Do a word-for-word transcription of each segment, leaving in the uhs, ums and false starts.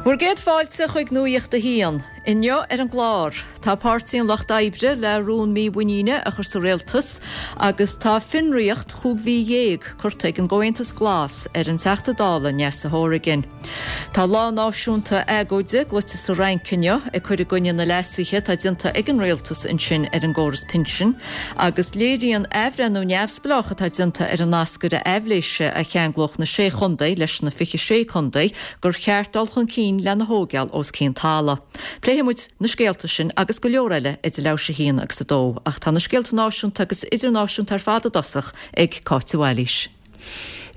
Bhur gcéad fáilte chuig Nuacht a hAon. Inniu ar an gclár, tá Páirtí an Lucht Oibre le rún mímhuiníne a chur sa rialtas agus tá fionraíocht chúig mhí dhéag curtha ag an gComhaontas Glas ar an Teachta Dála Neasa Hourigan. Tá lá náisiúnta agóide glaoite sa Fhrainc inniu ag cur i gcoinne na leasuithe atá déanta ag an rialtas ansin ar an gcóras pinsin, agus léiríonn athbhreithniú neamhspleách atá déanta ar an nascaire aibhléise a cheanglódh na sé chontae leis na fiche sé contae gur cheart dul chun cinn lena thógáil os cionn talaimh. Pléifidh muid na scéalta sin agus go leor eile idir leathuair tar éis a haon agus a dó, ach tá na scéalta náisiúnta agus idirnáisiúnta ar fad i dtosach ag Cáit Bhailís.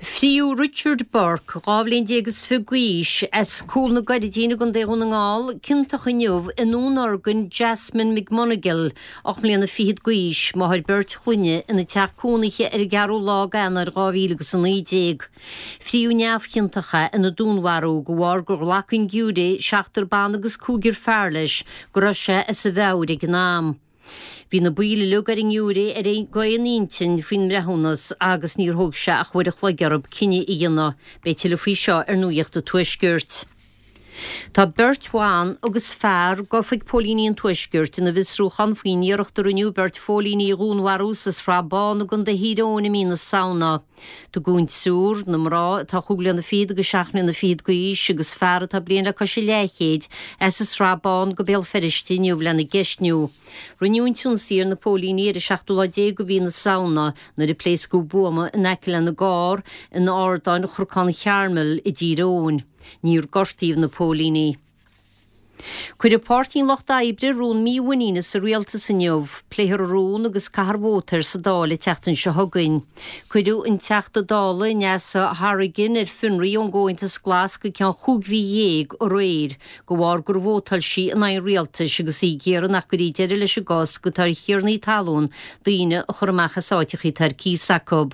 Fríodh Richard Burke, dhá bhliain déag is fiche d'aois, as Cúl na Gairdín i gContae Dhún na nGall, ciontach inniu i ndúnorgain Jasmine McMonagle, ocht mbliana fichead d'aois, máthair beirt chlainne, ina teach cónaithe ar an gceathrú lá d'Eanáir dhá mhíle agus a naoi déag. Fríodh neamhchiontach é ina dúnmharú de bharr gur ghlac an giúiré, seachtar ban agus cúigear fear leis, go raibh sé as a mheabhair ag an am. Bhí na baill uilig ar an ngiúiré ar aon intinn faoin mbreithiúnas agus níor thóg sé ach uair a chloig orthu cinneadh a dhéanamh. Beidh tuilleadh faoi seo ar Nuacht an Tuaiscirt. Tá beirt bhan agus fear gafa ag póilíní an Tuaiscirt ina bhfiosrúchán faoin iarracht a rinneadh beirt phóilíní a dhúnmharú sa Srath Bán i gContae Thír Eoghain i mí na Samhna. Tugadh an triúr, na mná atá chúig bliana fichead agus seacht mbliana fichead d'aois agus fear atá bliain le cois a leathchéid, as an Srath Bán go Béal Feirste inniu lena gceistniú. Rinneadh an t-ionsaí ar na póilíní ar an seachtú lá déag de mhí na Samhna nuair a pléascadh buama in aice lena gcarr in Ardáin Chnocán Charmel i dTír Eoghain. Níor gortaíodh na póilíní. Cuirfidh Páirtí an Lucht Oibre rún mímhuiníne sa rialtas inniu. Pléifear an rún agus caithfear vóta air sa Dáil an tseachtain seo chugainn. Cuireadh an Teachta Dála Neasa Hourigan ar fionraí ón gComhaontas Glas go ceann chúig mhí dhéag aréir de bharr gur vótáil sí in aghaidh an rialtais agus í ag iarraidh nach gcuirfí deireadh leis an gcosc atá ar thiarnaí talún daoine a chur amach as áiteacha atá ar cíos acu.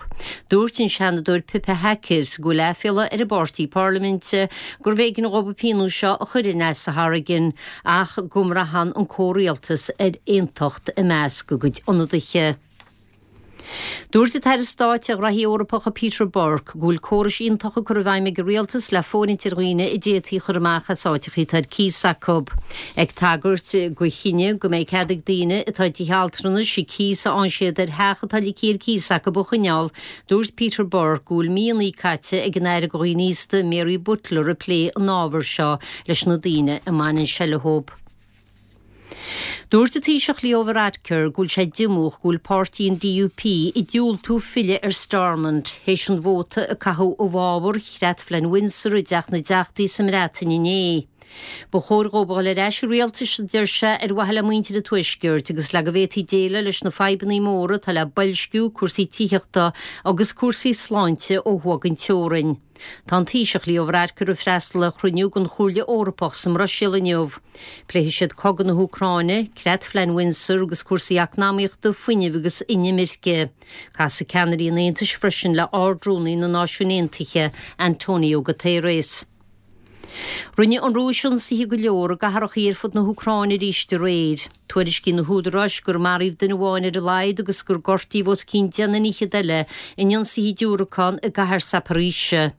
Dúirt an Seanadóir Pippa Hackett go bhfuil aiféala ar an bpáirtí parlaiminte gurbh éigean dhóibh an pionós seo a chur ar Neasa Hourigan ach go mbraitheann an comhrialtas ar aontacht i measc a gcuid ionadaithe. Dúirt an tAire Stáit ar Ghraithí Eorpacha Peter Burke go bhfuil córais iontacha curtha i bhfeidhm ag an rialtas le fóirithint ar dhaoine a d'fhéadfaí a chur amach as áiteacha atá ar cíos acu. Ag tagairt do chinneadh go mbeidh cead ag daoine atá i dtithe altranais an cíos a fhaigheann siad ar theach atá ligthe ar cíos acu a choinneáil, dúirt Peter Burke go bhfuil míonna caite ag an Aire do Dhaoine Aosta Mary Butler ag plé an ábhair seo leis na daoine a mbaineann sé leo. Dúirt an Taoiseach Leo Varadkar go bhfuil sé díomách go bhfuil páirtí an DUP ag diúltú filleadh ar Stormont théis an vóta a caitheadh i bhfabhar Chreatphlean Windsor i dTeach na dTeachtaí sa mBreatain inné. Ba chóir dhóibh a dhul ar ais i rialtas, a deir sé, ar mhaithe le muintir an Tuaiscirt agus le go bhféadfaí déileáil leis na fadhbanna móra atá le boilsciú, cúrsaí tithíochta agus cúrsaí sláinte ó thuaidh den teorainn. Tá an Taoiseach Leo Varadkar ag freastal ar chruinniú den Chomhairle Eorpach sa mBruiséil inniu. Pléifidh siad cogadh na hÚcráine, Creatphlean Windsor agus cúrsaí eacnamaíochta, fuinnimh agus inimirce. Casfaidh ceannairí an Aontais freisin le Ard-Rúnaí na Náisiún Aontaithe, Antonio Guterres. Rinne an Rúis ionsaithe go leor i gcathracha ar fud na hÚcráine arís aréir. Tuairiscíonn na húdaráis gur maraíodh duine amháin ar a laghad agus gur gortaíodh os cionn deich nduine fhichead eile in ionsaithe diúracán i gcathair Zaporizhzhia.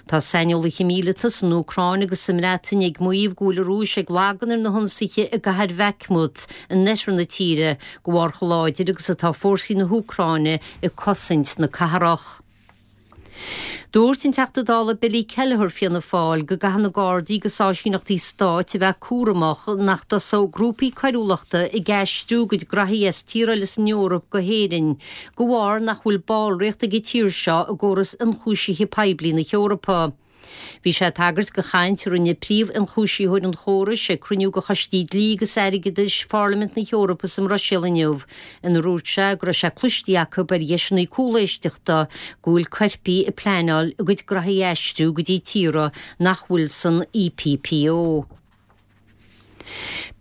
Tá saineolaithe míleata san Úcráin agus sa mBreatain ag maíomh go bhfuil an Rúis ag lagan ar na hionsaithe i gcathair Bhakhmut in oirthear na tíre de bharr chomh láidir agus atá fórsaí na hÚcráine ag cosaint na cathrach. Dúirt an Teachta Dála Billy Kelleher, Fianna Fáil, go gcaithfidh na Gardaí agus áisíneachtaí stáit a bheith cúramach nach dtosódh grúpaí coiriúlachta ag aistriú a gcuid graithí as tíortha eile san Eoraip go hÉirinn de bharr nach bhfuil ballraíocht ag an tír seo i gcóras ionchúisithe poiblí na hEorpa. Bhí sé ag tagairt do chaint a rinne príomh-ionchúisitheoir an chórais ag cruinniú de choistí dlí agus airgeadais Pharlaimint na hEorpa sa mBruiséil inniu, inar dhúirt sé go raibh sé cloiste acu ar dheiseanna cúléisteachta go bhfuil coirpigh ag pleanáil a gcuid graithí a aistriú go dtí tíortha nach bhfuil san EPPO.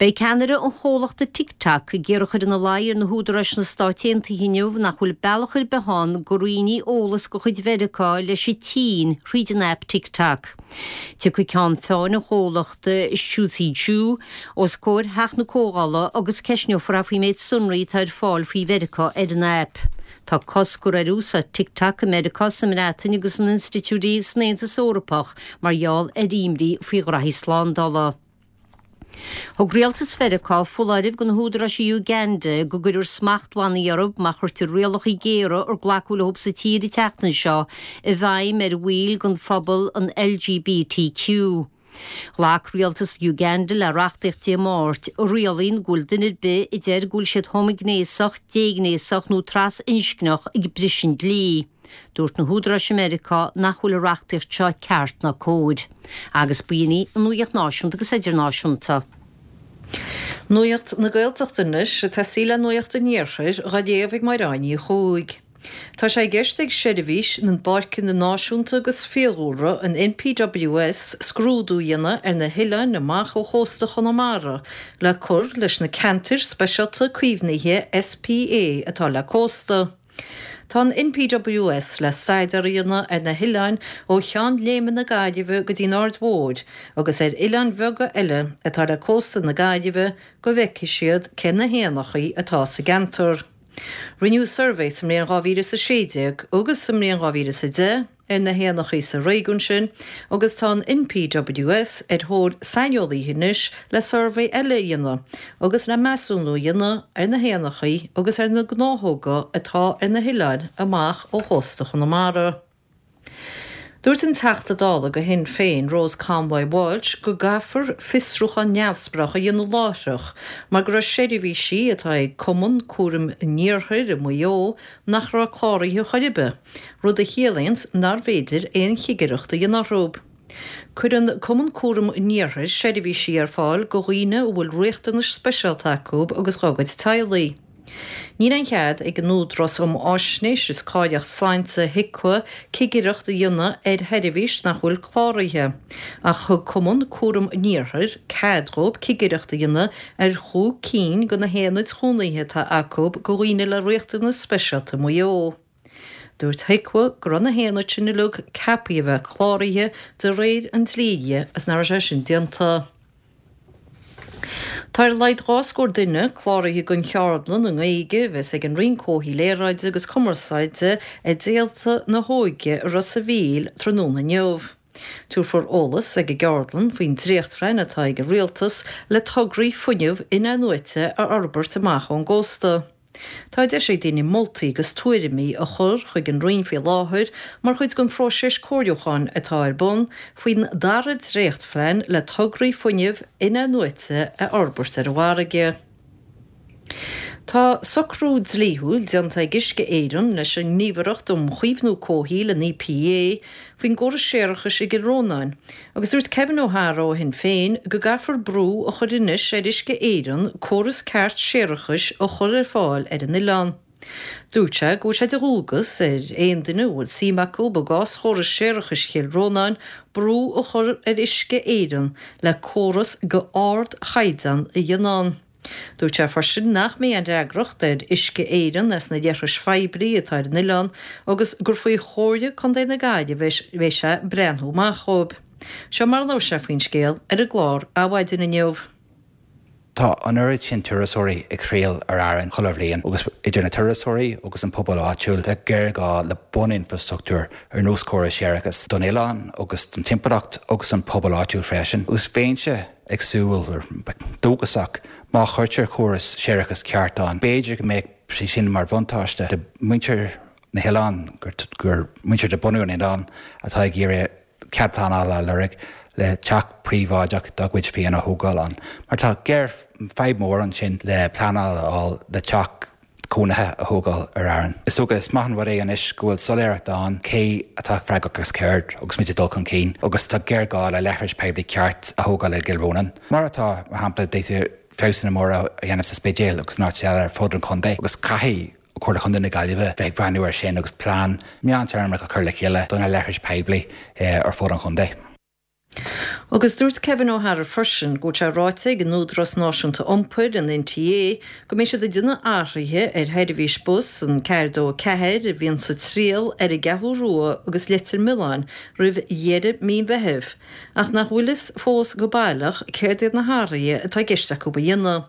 Beidh ceannaire an chomhlachta TikTok ag iarraidh a chur ina luí ar na húdaráis sna Stáit Aontaithe inniu nach bhfuil bealach ar bith ann go roinnfí eolas de chuid Mheiriceá leis an tSín thríd an aip TikTok. Tiocfaidh ceann feadhain an chomhlachta, Shou Zi Chew, os comhair Theach na Comhdhála agus ceistneofar é faoin méid sonraí atá ar fáil faoi Mheiriceá ar an aip. Tá cosc curtha ar úsáid TikTok i Meiriceá, sa mBreatain agus in institiúidí san Aontas Eorpach mar gheall ar imní faoi ghraithí slándála. Thug rialtas Mheiriceá foláireamh do na húdaráis i Uganda go gcuirfear smachtbhannaí orthu má chuirtear rialacha géara ar glacadh leo sa tír an tseachtain seo i bhfeidhm ar bhaill den phobal an LGBTQ. Ghlac rialtas Uganda le reachtaíocht Dé Máirt a rialaíonn go bhfuil duine ar bith a deir go bhfuil siad homaighnéasach, déghnéasach nó trasinscneach ag briseadh an dlí. Dúirt na húdaráis i Meiriceá nach bhfuil an reachtaíocht seo ceart ná cóir. Agus b'in í an nuacht náisiúnta agus idirnáisiúnta. Nuacht na Gaeltachta anois ag tosaí le Nuacht an Iarthair á léamh ag Máire Ní Chuaig. Tá sé i gceist ag Seirbhís na bPáirceanna Náisiúnta agus Fiadhúlra, an NPWS, scrúdú a dhéanamh ar na hoileáin amach ó chósta Chonamara le cur leis na ceantair speisialta caomhnaithe SPA atá le cósta. Tá an NPWS le staidéar a dhéanamh ar na hoileáin ó Cheann Léime na Gaillimhe go dtí an Aird Mhóir agus ar oileáin bheaga eile atá le cósta na Gaillimhe go bhfeicfidh siad cé na héanachaí atá sa gceantar. Rinneadh suirbhé sa mbliain dhá mhíle is a sé déag agus sa mbliain dhá mhíle is a deich ar na héanachaí sa réigiún sin agus tá an NPWS ar thóir saineolaithe anois le suirbhé eile a dhéanamh agus le measúnú a dhéanamh ar na héanachaí agus ar na gnáthóga atá ar na hoileáin amach ó chósta Chonamara. Dúirt an Teachta Dála do Shinn Féin, Rose Conway Walsh, go gcaithfear fiosrúchán neamhspleách a dhéanamh láithreach mar go raibh seirbhísí atá ag Cumann Cúraim an Iarthair i Maigh Eo nach raibh cláraithe chor ar bith, rud a chiallaíonns nárbh fhéidir aon chigireacht a dhéanamh orthu. Cuireann Cumann Cúraim an Iarthair seirbhísí ar fáil do dhaoine a bhfuil riachtanais speisialta acu agus dá gcuid teaghlaigh. Níl aon chead ag an Údarás um Fháisnéis is Cáilíocht Sláinte, HIQA, cigireacht a dhéanamh ar sheirbhís nach bhfuil cláraithe, ach thug Cumann Cúraim an Iarthair cead dhóibh cigireacht a dhéanamh ar chúig cinn de na haonaid chónaithe atá acu do dhaoine le riachtanais speisialta i Maigh Eo. Dúirt HIQA go raibh na haonaid sin uilig ceaptha a bheith cláraithe de réir an dlí agus nach raibh sé sin déanta. Tá ar a laghad dhá scór duine cláraithe don cheardlann i nGaeilge a bheas ag an Roinn Comhshaoil Aeráide agus Cumarsáide ag Réalta na hÓige i Ros a' Mhíl tráthnóna inniu. Tabharfar eolas ag an gceardlann faoin dréachtphlean atá ag an Rialtas le tograí fuinnimh in-athnuaite a fhorbairt amach ón gcósta. Tá deis ag daoine moltaí agus tuairimí a chur chuig an Roinn faoi láthair mar chuid den phróiseas comhairliúcháin atá ar bun faoin dara dréachtphlean le tograí fuinnimh in-athnuaite a fhorbairt ar an bhfarraige. Tá socrú dlíthiúil déanta ag Uisce Éireann leis an nGníomhaireacht um Chaomhnú Comhshaoil, an EPA, faoin gcóras séarachais i gCill Rónáin agus dúirt Kevin O'Hara ó Shinn Féin go gcaithfear brú a chur anois ar Uisce Éireann córas ceart séarachais a chur ar fáil ar an oileán. Dúirt sé go bhfuil sé de dhualgas ar aon duine a bhfuil suim acu i gcás chóras séarachais Chill Rónáin brú a chur ar Uisce Éireann le córas de ardchaighdeán a dhéanamh ann. Dúirt sé freisin nach mbeidh aon fhreagracht ar Uisce Éireann as na leithris phoiblí atá ar an oileán agus gur faoi Chomhairle Contae na Gaillimhe a bheidh sé breathnú amach dhóibh. Seo mar a labhair sé faoin scéal ar an gclár Adhmhaidin inniu. Tá an oiread sin turasóirí ag triall ar Árainn chuile bhliain agus idir na turasóirí agus an pobal áitiúil tá géarghá le buninfrastruchtúr ar nós córas séarachais don oileán agus don timpeallacht agus an pobal áitiúil freisin. Agus bheinnse ag súil dóchasach má chuirtear córas séarachais ceart ann. B'fhéidir go mbeadh sé sin mar bhuntáiste do mhuintir na hoileán gur muintir de bunadh an oileáin atá ag iarraidh cead pleanála a lorg le teach príobháideach dá gcuid féin a thógáil ann. Mar tá géar fadhb mór ansin le pleanáil a fháil le teach cónaithe a thógáil ar Árainn. Is dócha is maith an rud é anois go bhfuil soiléireacht ann cé atá freagrach as céard agus muid ag dul chun cinn agus tá géarghá le leithris poiblí ceart a thógáil i gCill Rónáin. Mar atá, mar shampla, d'fhéadfaí feabhsanna móra a dhéanamh sa Spidéal agus in áit eile ar fud an chontae agus caithfidh Comhairle Chontae na Gaillimhe bheith ag breathnú air sin agus plean meántéarmach a chur le chéile do na leithris poiblí ar fud an chontae. Agus dúirt Kevin O'Hara freisin go bhfuil sé ráite ag an Údarás Náisiúnta Iompair, an NTA, go mbeidh siad ag déanamh athruithe ar sheirbhís bus an ceathair dó a ceathair a bhíonn sa triail ar an gCeathrú Rua agus Leitir Mealláin roimh dheireadh mí an Mheithimh, ach nach bhfuil fhios fós go baileach céard iad na hathruithe atá i gceist acu a dhéanamh.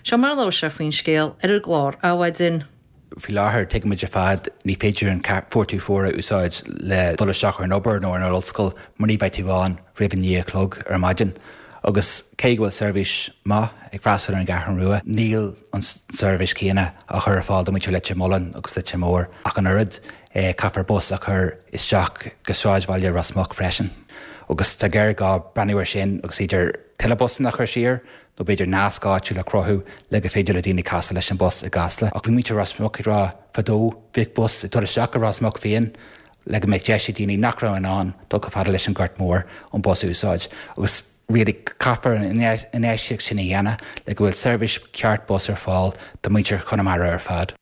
Seo mar a labhair sé faoin scéal ar an gclár Adhmhaidin. Faoi láthair tuigimid ar fad ní féidir an four two four a úsáid le dul isteach ar an obair nó ar an ollscoil mar ní bheidh tú ann roimh a naoi a chlog ar maidin. Agus cé go bhfuil seirbhís maith ag freastal ar an gCeathrú Rua, níl an seirbhís céanna á chur ar fáil do mhuintir Leitir Mealláin agus Leitir Móir ach an oiread caithfear bus a chur isteach go sráidbhaile Ros Muc freisin. Agus tá géarghá breathnú air sin agus idir tuilleadh busanna a chur siar nó b'fhéidir nasc áitiúil a chruthú le go féidir le daoine casadh leis an bus i gCasla. Ach bhí muintir Ros Muc ag rá fadó bhíodh bus ag dul isteach go Ros Muc féin le go mbeadh deis ag daoine nach raibh in ann dul chomh fada leis an Gort Mór an bus a úsáid. Agus really caithfear an infheistíocht sin a dhéanamh le go bhfuil seirbhís ceart bus ar fáil do mhuintir Chonamara ar fad.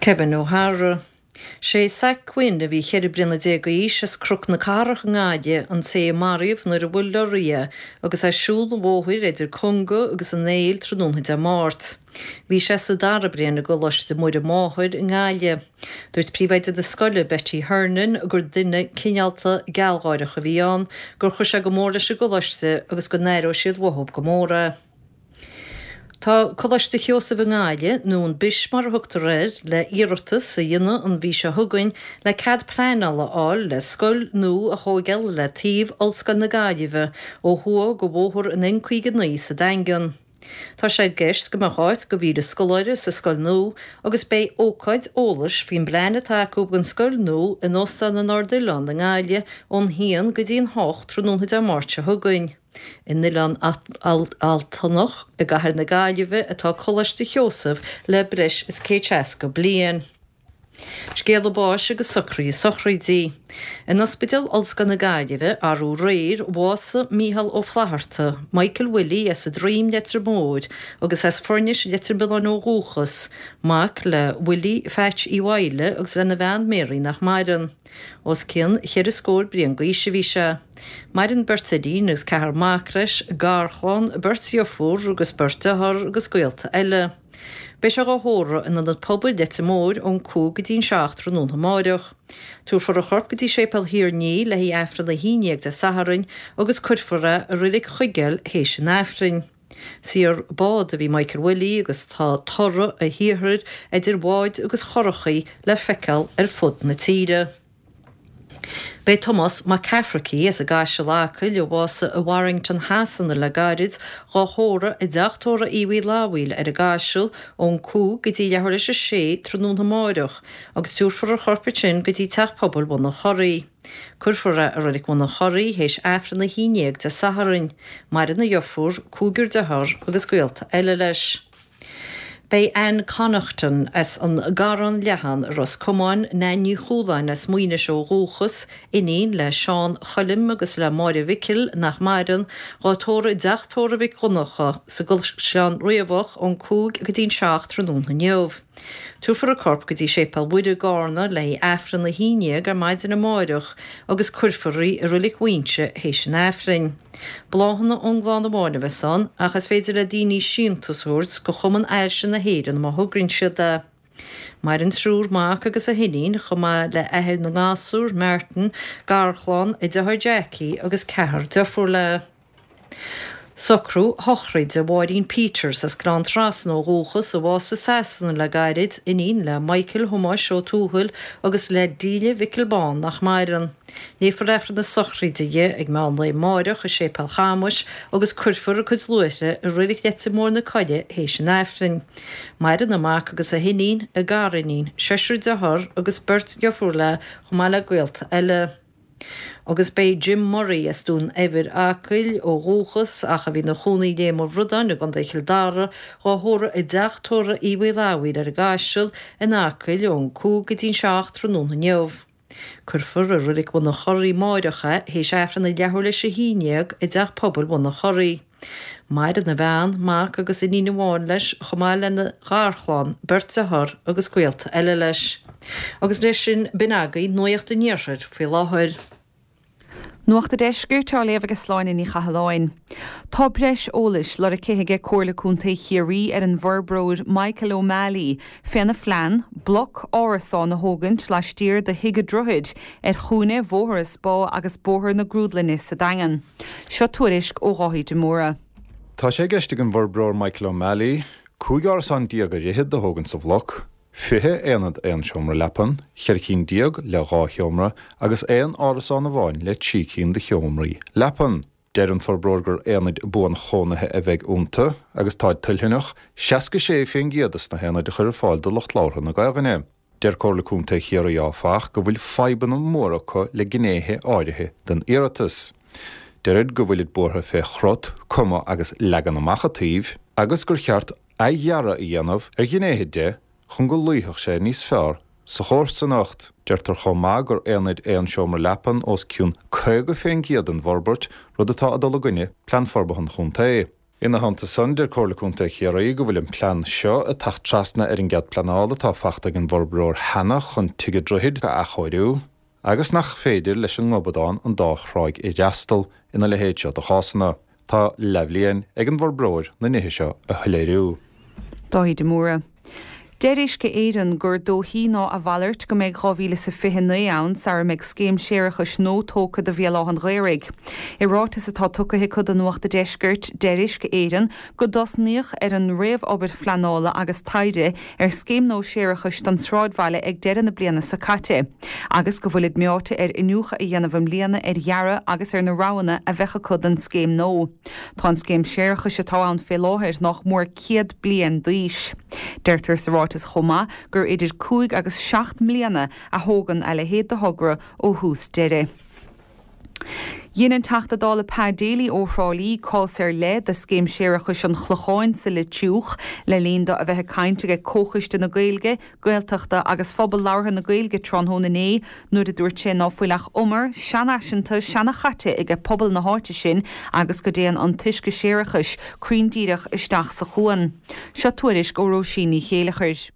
Kevin O'Hara. Sé Zach Quinn a bhí ceithre bliana déag d'aois as Cnoc na Cathrach i nGaillimh an té a maraíodh nuair a bhuail leoraí é agus é ag siúl an bhóthair idir Conga agus an Éill tráthnóna Dé Máirt. Bhí sé sa dara bliain i gColáiste Muire Máthair i nGaillimh. Dúirt príomhoide na scoile Betty Hernon gur duine cineálta gealgháireach a bhí ann, gur chuir sé go mór leis an gcoláiste agus go n-aireoidh siad uathu go mór é. Tá Coláiste Sheosaimh i nGaillimh, nó an BIS mar a thugtar air, le iarratas a dhéanamh an mhí seo chugainn le cead pleanála a fháil le scoil nua a thógáil le taobh Ollscoil na Gaillimhe ó thuaidh de bhóthar an N caoga naoi sa Daingean. Tá sé i gceist go mbeadh áit do mhíle scoláire sa scoil nua agus beidh ócáid eolais faoin bplean atá acu don scoil nua in Óstán an Ardoileáin i nGaillimh ón haon go dtí an hocht tráthnóna Dé Máirt seo chugainn. In Oileán Altanach i gcathair na Gaillimhe atá Coláiste Sheosaimh le breis is céad seasca bliain. Scéala báis agus socruithe sochraide. In Ospidéal Ollscoil na Gaillimhe, arú aréir, bhásaigh Mícheál Ó Flatharta, Michael Willie as an Droim Leitir Móir agus as Foirnis Leitir Mealláin ó dhúchas, mac le Willie Phatch Uí Mhaoile agus lena bhean Mary nach maireann. Os cionn cheithre scór bliain d'aois a bhí sé. Maireann beirt iníon agus ceathrar mac leis, garchlann, beirt dheirfiúr agus beirt dearthár agus gaolta eile. Beidh sé á thórramh in Ionad Pobail Leitir Móir ón cúig go dtí an seacht tráthnóna amáireach. Tabharfar a chorp go dtí Séipéal Thír an Fhia le haghaidh Aifreann a haon déag Dé Sathairn agus cuirfear é i Reilig Chuigéil théis an Aifrinn. Saor bád a bhí Michael Willie agus tá toradh a shaothair idir bháid agus churachaí le feiceáil ar fud na tíre. Beidh Tomás Mac Cafraidh as an gCaiseal Acaill a bhásaigh i Warrington Shasana le gairid dhá thórramh i dteach tórraimh Aodh Uí Fhlathbhaoil ar an gCaiseal ón cúig go dtí leathuair théis a sé tráthnóna amáireach agus tabharfar a chorp ansin go dtí teach pobail Bhun an Chorraí. Cuirfear é i Reilig Bhun an Chorraí théis Aifreann a haon déag Dé Sathairn. Maireann a dheirfiúr, cúigear dearthár agus gaolta eile leis. Beidh Anne Connaughton as an gCarrán Leathan i Ros Comáin, Nan Ní Chualáin as Muínis ó dhúchas, iníon le Seán Choilm agus le Máire Mhicil nach maireann, dhá tórramh i dteach tórraimh Mhic Dhonncha sa gCaisleán Riabhach ón cúig go dtí an seacht tráthnóna inniu. Tabharfar a corp go dtí Séipéal Mhuire i gCarna le haghaidh Aifreann a haon déag ar maidin amáireach agus cuirfear í i Reilig Mhuínse théis an Aifrinn. Bláthanna ón gclann amháin a bheas ann ach is féidir le daoine síntiús a thabhairt go Chumann Ailse na hÉireann má thograíonn siad é. Maireann triúr mac agus a hiníon chomh maith le athair na ngasúr, Martin, garchlann, a deartháir Jackie agus ceathrar deirfiúr léi. Socrú sochraide Mháirín Peters as Gleann Trasna ó dhúchas a bhásaigh i Sasana le gairid, iníon le Michael Thomáis Ó Tuathail agus le Delia Mhicil Bán nach maireann. Léifear Aifreann na sochraide di ag meán lae amáireach i Séipéal Chamuis agus cuirfear a cuid luaithre i Reilig Leitir Móir na Coille théis an Aifrinn. Maireann a mac agus a hiníon, a gariníon, seisear dearthár agus beirt dheirfiúr léi chomh maith le gaolta eile. Agus beidh Jim Murray as Dún Eibhir Acaill ó dhúchas ach a bhí ina chónaí i Léim an Bhradáin i gContae Chill Dara dhá thórramh i dteach tórraimh Aodh Uí Fhlathbhaoil ar an gCaiseal in Acaill ón cúig go dtí an seacht tráthnóna inniu. Cuirfear i Reilig Bhun an Chorraí amáireach é théis Aifreann ag leathuair théis a haon déag i dteach pobail Bhun an Chorraí. Maireann a bhean, mac agus iníon amháin leis chomh maith lena gharchlann, beirt dearthár agus gaolta eile leis. Agus leis sin b'in agaibh Nuacht an Iarthair faoi láthair. Nuacht an Deiscirt á léamh ag Sláine Ní Chathalláin. Tá breis eolais lorgtha aige Comhairle Contae Chiarraí ar an bhforbróir Michael O'Malley féna phlean bloc árasán a thógaint laistiar de Thigh an Droichid ar chúinne Bhóthar an Spá agus Bóthar na Grúdlainne sa Daingean. Seo tuairisc ó Dháithí de Mórdha. Tá sé i gceist ag an bhforbróir Michael O'Malley, cúig árasán déag ar fhichead a thógaint sa bhloc, Fiche aonad aon seomra leapan, cheithre cinn déag le dhá sheomra agus aon árasán amháin le trí cinn de sheomraí leapan. Deir an forbróir gur aonaid buanchónaithe a bheidh iontu agus táid toilteanach seasca sé faoin gcéad de na haonaid a chur ar fáil do lucht labhartha na Gaelainne. Deir Comhairle Contae Chiarraí áfach go bhfuil fadhbanna móra acu le gnéithe áirithe den iarratas. Deirid go bhfuilid buartha fé chrut, cuma agus leagan amach an tsuímh agus gur cheart athdhearadh a dhéanamh ar ghnéithe de chun go luífeadh sé níos fearr sa chomharsanacht. Deirtear chomh maith gur aonaid aon seomra leapan os cionn caoga faoin gcéad den bhforbairt, rud atá ag dul i gcoinne Plean Forbartha an Chontae. Ina theannta san, deir Comhairle Contae Chiarraí go bhfuil an plean seo ag teacht trasna ar an gcead pleanála atá fachta ag an bhforbróir cheana chun Tigh an Droichid a athchóiriú agus nach féidir leis an ngobadán an dá thráigh a fhreastal ina leithéid seo de chásanna. Tá leathbhliain ag an bhforbróir na nithe seo a shoiléiriú. Dáithí de Mórdha. Deir Uisce Éireann gur dóichí ná a mhalairt go mbeidh dhá mhíle is a fiche naoi ann sara mbeidh scéim séarachais nua tógtha do Bhéal Átha an Ghaorthaidh. I ráiteas atá tugtha acu do Nuacht a' Deiscirt, deir Uisce Éireann go dtosnaíodh ar an réamhobair phleanála agus taighde ar scéim nua séarachais don sráidbhaile ag deireadh na bliana seo caite agus go bhfuilid meáite ar iniúchadh a dhéanamh i mbliana ar dhearadh agus ar na roghanna a bheadh acu don scéim nua. Tá an scéim séarachais atá ann fé láthair nach mór céad bliain d'aois. Deirtear sa ráiteas chomh maith gur idir cúig agus seacht mbliana a thógann a leithéid de thogra ó thús deireadh. Dhein an Teachta Dála Pa Daly ó Thrá Lí cás ar leith de scéim séarachais an Chlocháin sa Leitriúch le linn dó a bheith ag caint ag Comhchoiste na Gaeilge, Gaeltachta agus Phobal Labhartha na Gaeilge tráthnóna inné nuair a dúirt sé ná fuil ach umar seanfhaiseanta seanachaite aige pobal na háite sin agus go dtéann an t-uisce séarachais cruinn díreach isteach sa chuan. Seo tuairisc ó Róisín Ní Chéilleachair.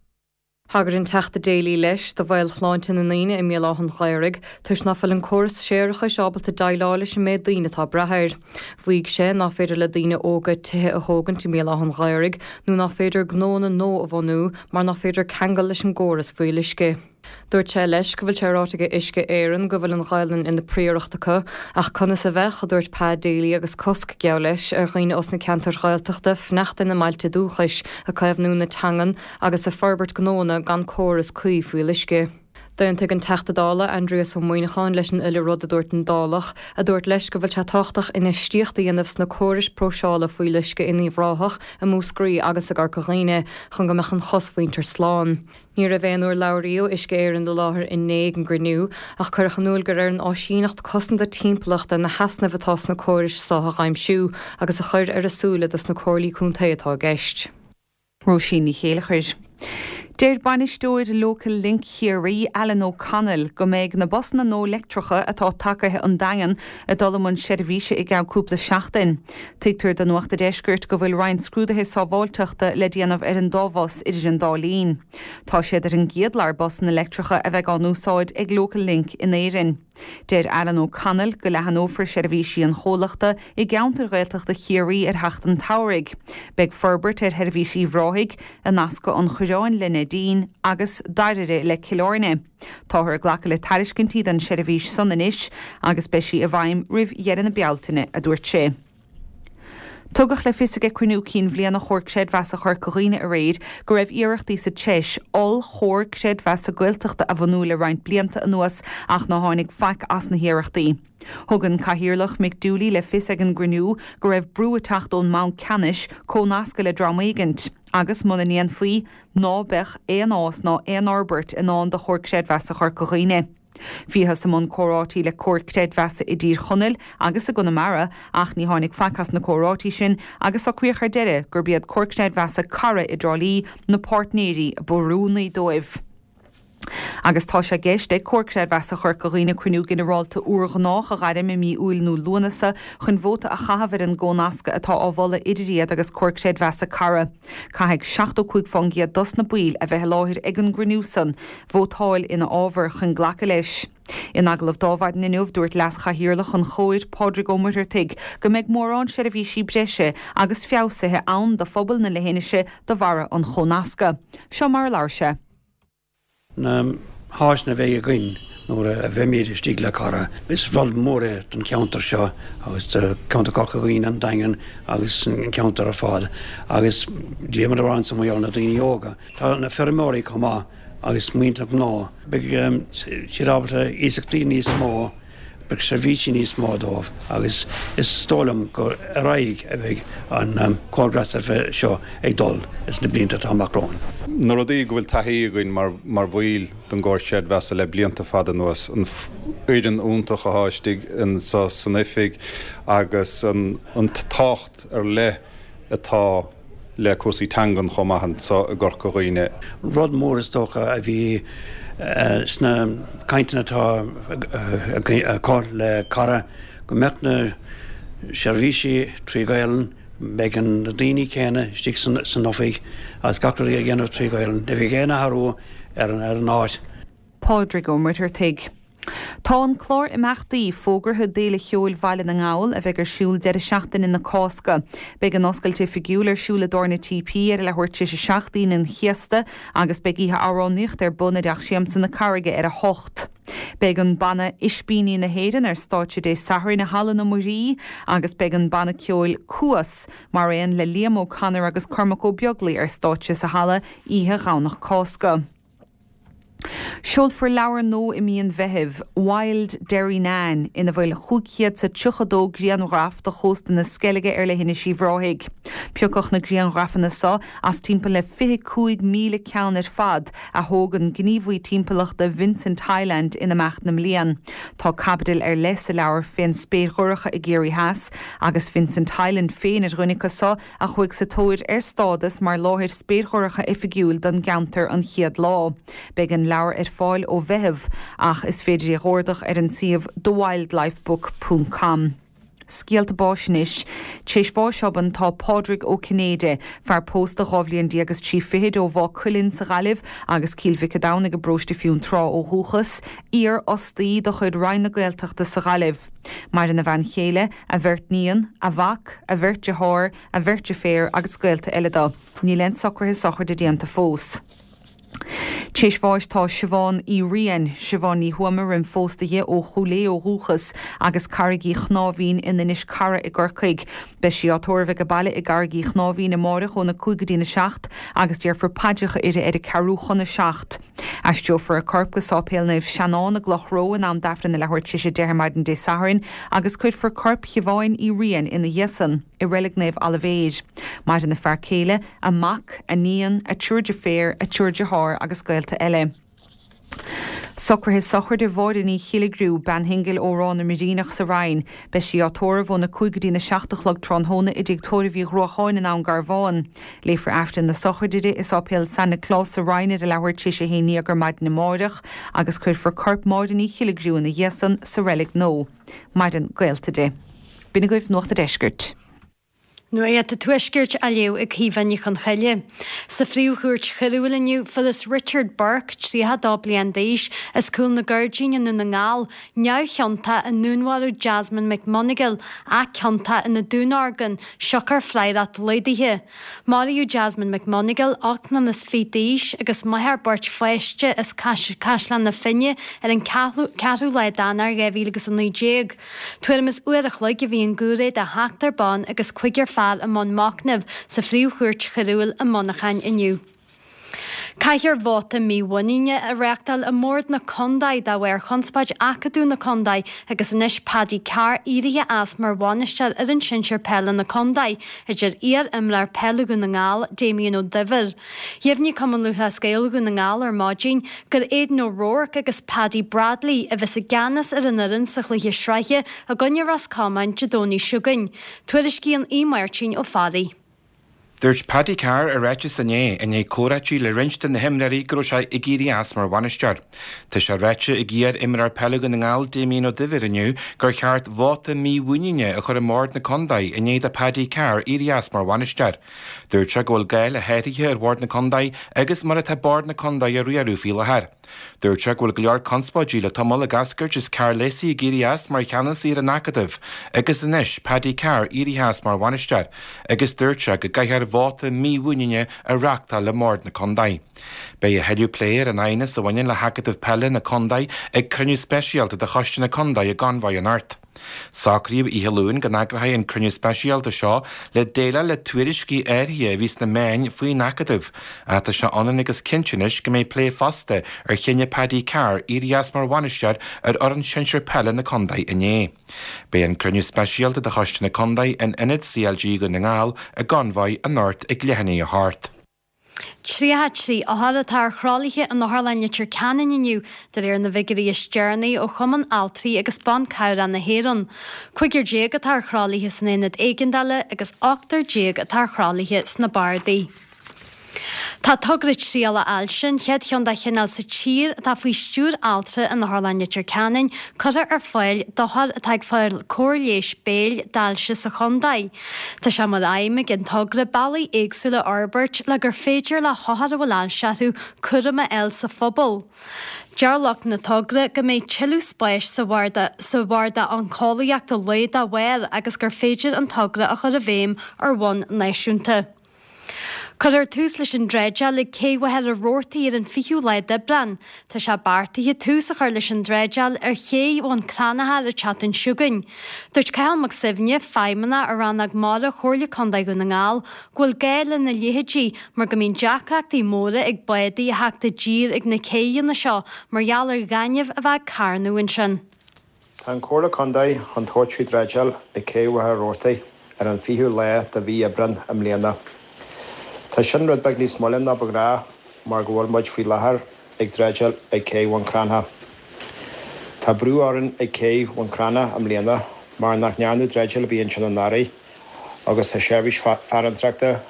Thagair an Teachta Daly leis do bhaol shláinte na ndaoine i mBéal Átha an Ghaorthaidh toisc ná fuil an córas séarachais ábalta déileáil leis an méid daoine atá ag brath air. Mhaígh sé ná féidir le daoine óga tithe a thógaint i mBéal Átha an Ghaorthaidh nó ná féidir gnóanna nua a bhunú mar ná féidir ceangal leis an gcóras fuíolluisce. Dúirt sé leis go bhfuil sé ráite ag Uisce Éireann go bhfuil an Ghaelainn ina príoracht acu, ach conas a bheadh, a dúirt Pa Daly agus cosc, geall leis, ar dhaoine os na ceantair Ghaeltachta fanacht ina mbailte dúchais, ag caomhnú na teangan agus ag forbairt gnóanna gan córas cuí fuíolluisce. D'aontaigh an Teachta Dála Aindrias Ó Muimhneacháin leis an uile rud a dúirt an Dálach, a dúirt leis go bhfuil sé tábhachtach infheistíocht a dhéanamh sna córais próiseála fuíolluisce in Uíbh Ráthach, i Múscraí agus i gCorca Dhuibhne chun go mbeadh an chosmhuintir slán. Ní raibh aon urlabhraí ó Uisce Éireann i láthair inné ag an gcruinniú ach cuireadh in iúl gur ar an áisíneacht cosanta timpeallachta na heasnaimh atá sna córais seo a dh'aimsiú agus a chur ar a súile dos na comhairlí contae atá i gceist. Róisín Ní Chéilleachair. Deir bainisteoir Local Link Chiarraí, Alan O'Connell, go mbeidh na busanna nua leictreacha atá tagaithe 'on Daingean ag dul i mbun seirbhíse i gceann cúpla seachtain. Tuigtear do Nuacht a' Deiscirt go bhfuil roinnt scrúduithe sábháilteachta le déanamh ar an dá bhus idir an dá linn. Tá siad ar an gcéad lear busanna leictreacha a bheidh á n-úsáid ag Local Link in Éirinn. Deir Alan O'Connell go leathanófar seirbhísí an chomhlachta i gceantair Ghaeltachta Chiarraí ar theacht an tsamhraidh. Beidh forbairt ar sheirbhís Uíbh Ráthaigh, a nascadh an Choireáin le Neidín agus Dairbhre le Cill Airne. Táthar ag glacadh le tairiscintí don tseirbhís san anois agus beidh sí i bhfeidhm roimh dheireadh na Bealtaine, a dúirt sé. Tugadh le fios ag cruinniú cinn bhliana Chomhar Creidmheasa Chorca Dhuibhne aréir go raibh iarrachtaí sa treis oll-chomhar creidmheasa Gaeltachta a bhunú le roinnt blianta anuas ach ná tháinig faic as na hiarrachtaí. Thug an Cathaoirleach Mick Dooley le fios ag an gcruinniú go raibh brú ag teacht ón mBanc Ceannais comhnascadh le dream éigint agus muna ndéanfaí ná beadh aon fhás ná aon fhorbairt i ndán do Chomhar Creidmheasa Chorca Dhuibhne. Bhíothas i mbun comhráití le comhair creidmheasa i dTír Chonaill agus i gConamara ach ní tháinig faic as na comhráití sin agus socraíodh ar deireadh gurb iad Comhar Creidmheasa Cara i dTrá Lí na páirtnéirí ba oiriúnaí dóibh. Agus tá sé i gceist ag Comhar Creidmheasa Chorca Dhuibhne cruinniú ginearálta urghnách a ghairm i mí Iúil nó Lúnasa chun vóta a chaitheamh ar an gcónascadh atá á mholadh idir iad agus Comhar Creidmheasa Cara. Caithfidh seachtó cúig fán gcéad dos na baill a bheith i láthair ag an gcruinniú san vótáil ina fhábhar chun glacadh leis. In agallamh d'Adhmhaidin inniu, dúirt Leas-Chathaoirleach an Chomhair, Pádraig Ó Muircheartaigh, go mbeidh mórán seirbhísí breise agus feabhsaithe ann do phobal na leithinise de bharra an chónasctha. Seo mar a labhair sé. Na háiseanna a bheidh againn nuair a bheimid istigh le Cara, is rud mór é don cheantar seo agus do cheantar Chorca Dhuibhne, an Daingean agus an ceantar ar fad agus déanaimid a rá ansan mar gheall ar na daoine óga. Tá na feirmeoirí chomh maith agus muintir gnó. Beidh siad ábalta iasachtaí níos mó, beidh seirbhísí níos mó dóibh agus is dóigh liom gur ar aghaidh a bheidh an comhar creidmheasa seo ag dul sna blianta atá amach romhainn. Na rudaí go bhfuil taithí againn mar mar bhaill den gcomhar creidmheasa le blianta fada anuas, an fhoireann iontach atá istigh anso san oifig agus an an tábhacht ar leith atá le cúrsaí teangan chomh maith anso i gCorca Dhuibhne. Rud mór is dócha a bhí sna cainteanna atá acu le Cara go mbeadh na seirbhísí trí Ghaelainn, beidh na daoine céanna istigh san oifig agus gach rud a dhéanamh trí Ghaelainn. Ní bheidh aon athrú ar an áit. Pádraig Ó Muircheartaigh. Tá an clár imeachtaí fógartha d'Fhéile Cheoil Bhaile na nGall a bheidh ar siúl deireadh seachtaine na Cásca. Beidh an oscailt oifigiúil ar siúl i dTabhairne TP ar a leathuair tar éis a seacht Aoine an Chéasta agus beidh oíche amhránaíochta ar bun i dTeach Siamsa na Carraige ar a hocht. Beidh an banna Ispíní na hÉireann ar stáitse Dé Sathairn i Halla na Muirí agus beidh an banna ceoil Cuas mar aon le Liam O'Connor agus Cormac Ó Beaglaoi ar stáitse sa halla oíche Dhomhnach Cásca. Seolfar leabhar nua i mí an Mheithimh, Wild Derrynane, ina bhfuil chúig chéad is a tríocha dó grianghraf de chósta na Sceilge ar leithinis Uíbh Ráthaigh. Piocadh na grianghrafanna seo as timpeall le fiche cúig míle ceann ar fad a thóg an gníomhaí timpeallachta Vincent Hyland in imeacht na mblian. Tá caibidil ar leith sa leabhar fén spéir dhorcha i gCiarraí Theas agus Vincent Hyland féin ar dhuine acu seo a chuaigh sa tóir ar stádas mar láthair spéir dhorcha oifigiúil don gceantar an chéad lá. Beidh an leabhar ar fáil ó Mheitheamh ach is féidir é a dh'ordach ar an suíomh thewildlifebook ponc com. Scéalta báis anois. Tar éis bháis obann tá Pádraig Ó Cinnéide, fear pósta dhá bhliain déag is trí fichid ó Mhaigh Cuilinn sa Ghaillimh agus Cill Mhic an Domhnaigh i bparóiste Fionntrá ó dhúchas, iar-fhostaí de chuid Roinn na Gaeltachta sa Ghaillimh. Maireann a bhean chéile, a bheirt níon, a mhac, a bheirt dearthár, a bheirt deirféar agus gaolta eile dó. Níl aon socruithe sochraide déanta fós. Tar éis bháis tá Siobhán Uí Riain, Siobhán Ní Thuama roim phósta di ó Chúil Aodha ó dhúchas agus Carraig Uí Chnáimhín in Inis Cara i gCorcaigh. Beidh sí á tórramh ag a baile i gCarraig Uí Chnáimhín amáireach óna cúig go dtína seacht agus déarfar paidreacha uirthi ar a ceathrú chun a seacht. Aistreofar a corp go Sáipéal Naomh Seanán i gCloch Ró in am d'Aifreann a leathuair tar éis a deich ar maidin Dé Sathairn agus cuirfear corp Shiobháin Uí Riain ina dhiaidh san i Reilig Naomh Oilibhéir. Maireann a fear céile, a mac, a níon, a triúr deirféar, a triúr dearthár agus gaolta eile. Socruithe sochraide Mháire Ní Chilligriú, bean shingil ó Ráth na mBiríneach sa Rinn. Beidh sí á tórramh óna cúig go dtína seacht a chlog tráthnóna i dtigh tórraimh Uí Ghruacháin i nDún Garbhán. Léifear Aifreann na sochraide di i Sáipéal San Nioclás sa Rinn ar a leathuair tar éis a haon déag ar maidin amáireach agus cuirfear corp Mháire Ní Chilligriú ina dhiaidh san sa reilig nua. Maireann gaolta di. B'in agaibh Nuacht a' Deiscirt. Nuacht an Tuaiscirt á léamh ag Caoimhe Ní Chonchoille. Sa Phríomh-Chúirt Choiriúil inniu, fuarthas Richard Burke, tríocha a dó bliain d'aois, as Cúl na Gairdín i nDún na nGall, neamhchiontach i ndúnmharú Jasmine McMonagle, ach ciontach ina dúnorgain, siocair freagracht laghdaithe. Maraíodh Jasmine McMonagle, ocht mbliana is fiche d'aois, agus máthair beirt pháiste as Caisleán na Finne ar an ceathrú lá d'Eanáir dhá mhíle agus a naoi déag. Tuairim is uair a chloig a bhí an giúiré de sheachtar ban agus cúigear fear i mbun machnaimh sa Phríomh-Chúirt Choiriúil i Muineachán inniu. Caithfear vóta mímhuiníne a reáchtáil i mBord na Contae de bharr chonspóid acadúil na contae agus anois Paddy Carr éirithe as mar bhainisteoir fhoireann sinsir peile na contae, a deir iar-imreoir peile Dhún na nGall, Damien Ó Duibhir. Dheimhnigh Cumann Lúthchleas Gael Dhún na nGall ar maidin gur Aidan O'Rourke agus Paddy Bradley a bheas i gceannas ar an fhoireann sa chluiche sraithe i gcoinne Ros Comáin Dé Domhnaigh seo chugainn. Tuairiscíonn Aodh Máirtín Ó Fearraigh. Dúirt Paddy Carr i ráiteas inné, i ndiaidh comhráití le roinnt de na himreoirí go raibh sé ag éirí as mar bhainisteoir. Tá sé ráite ag iar-imreoir peile Dhún na nGall Damien Ó Duibhir inniu gur cheart vóta mímhuiníne a chur i mbord na contae i ndiaidh do Paddy Carr éirí as mar bhainisteoir. Dúirt sé go bhfuil gá le hathruithe ar bhord na contae agus mar atá bord na contae á riaradh faoi láthair. Dúirt sé go bhfuil go leor conspóidí le tamall ag eascairt is Karl Lacey ag éirí as mar cheannasaí ar an Acadamh agus anois Paddy Carr éirithe as mar bhainisteoir agus dúirt sé go gcaithfear vóta mímhuiníne a reáchtáil le bord na contae. Beidh a thuilleadh plé ar an aighneas a bhaineann le hAcadamh Peile na Contae ag cruinniú speisialta de choiste na contae i gConmhaigh anocht. Socraíodh oíche Luain go n-eagrófaí an cruinniú speisialta seo le déileáil le tuairiscí áirithe a bhí sna meáin faoin Acadamh, ach tá sé ionann agus cinnte anois go mbeidh plé fosta ar chinneadh Paddy Carr éirí as mar bhainisteoir ar fhoireann sinsir peile na contae inné. Beidh an cruinniú speisialta de choiste na contae in ionad C L G Dhún na nGall i gConmhaigh anocht ag leath i ndiaidh a hocht. Tríocha trí othar atá ar thralaithe in Otharlann Leitir Ceanainn inniu, de réir na bhfigiúirí is deireanaí ó Chumann Altraí agus Ban Cabhrach na hÉireann. Cúigear déag atá ar thralaithe san aonad éigeandála agus ochtar déag atá ar thralaithe sna bardaí. Tá togra trialach ailse, an chéad cheann dá chineál sa tír atá faoi stiúir altra in Otharlann Leitir Ceanainn, curtha ar fáil d'othair atá ag fáil cóir leighis béil d'ailse sa chontae. Tá sé mar aidhm ag an togra bealaí éagsúla a fhorbairt le gur féidir le hothair a bhfuil ailse orthu cúram a fháil sa phobal. Deir lucht na togra go mbeidh tuilleadh spáis sa bharda sa bharda oncólaíochta lae dá bharr agus gur féidir an togra a chur i bhfeidhm ar bhonn náisiúnta. Cuirfear tús leis an dreideáil ag Cé Mhachaire Rabhartaigh ar an fichiú lá d'Aibreán. Tá sé beartaithe tús a chur leis an dreideáil ar Ché Bhun Cranncha an tseachtain seo chugainn. Dúirt Cathal Mac Suibhne, feidhmeannach ar rannóg mara Chomhairle Contae Dhún na nGall, go bhfuil gá lena leithéidí mar go mbíonn deacrachtaí móra ag bádaí a theacht i dtír ag na céidheanna seo mar gheall ar ghaineamh a bheith ag carnadh ansin. Tá an Chomhairle Contae chun tabhairt faoi dreideáil ag Cé Mhachaire Rabhartaigh ar an fichiú lá de mhí Aibreán i mbliana. Tá sin rud beag níos moille ná ba ghnách mar go bhfuil muid faoi láthair ag dreideáil ag Cé Bhun Cranncha. Tá brú orainn ag Cé Bhun Cranncha i mbliana mar nach ndearnadh dreideáil ar bith ansin anuraidh agus tá seirbhís farantóireachta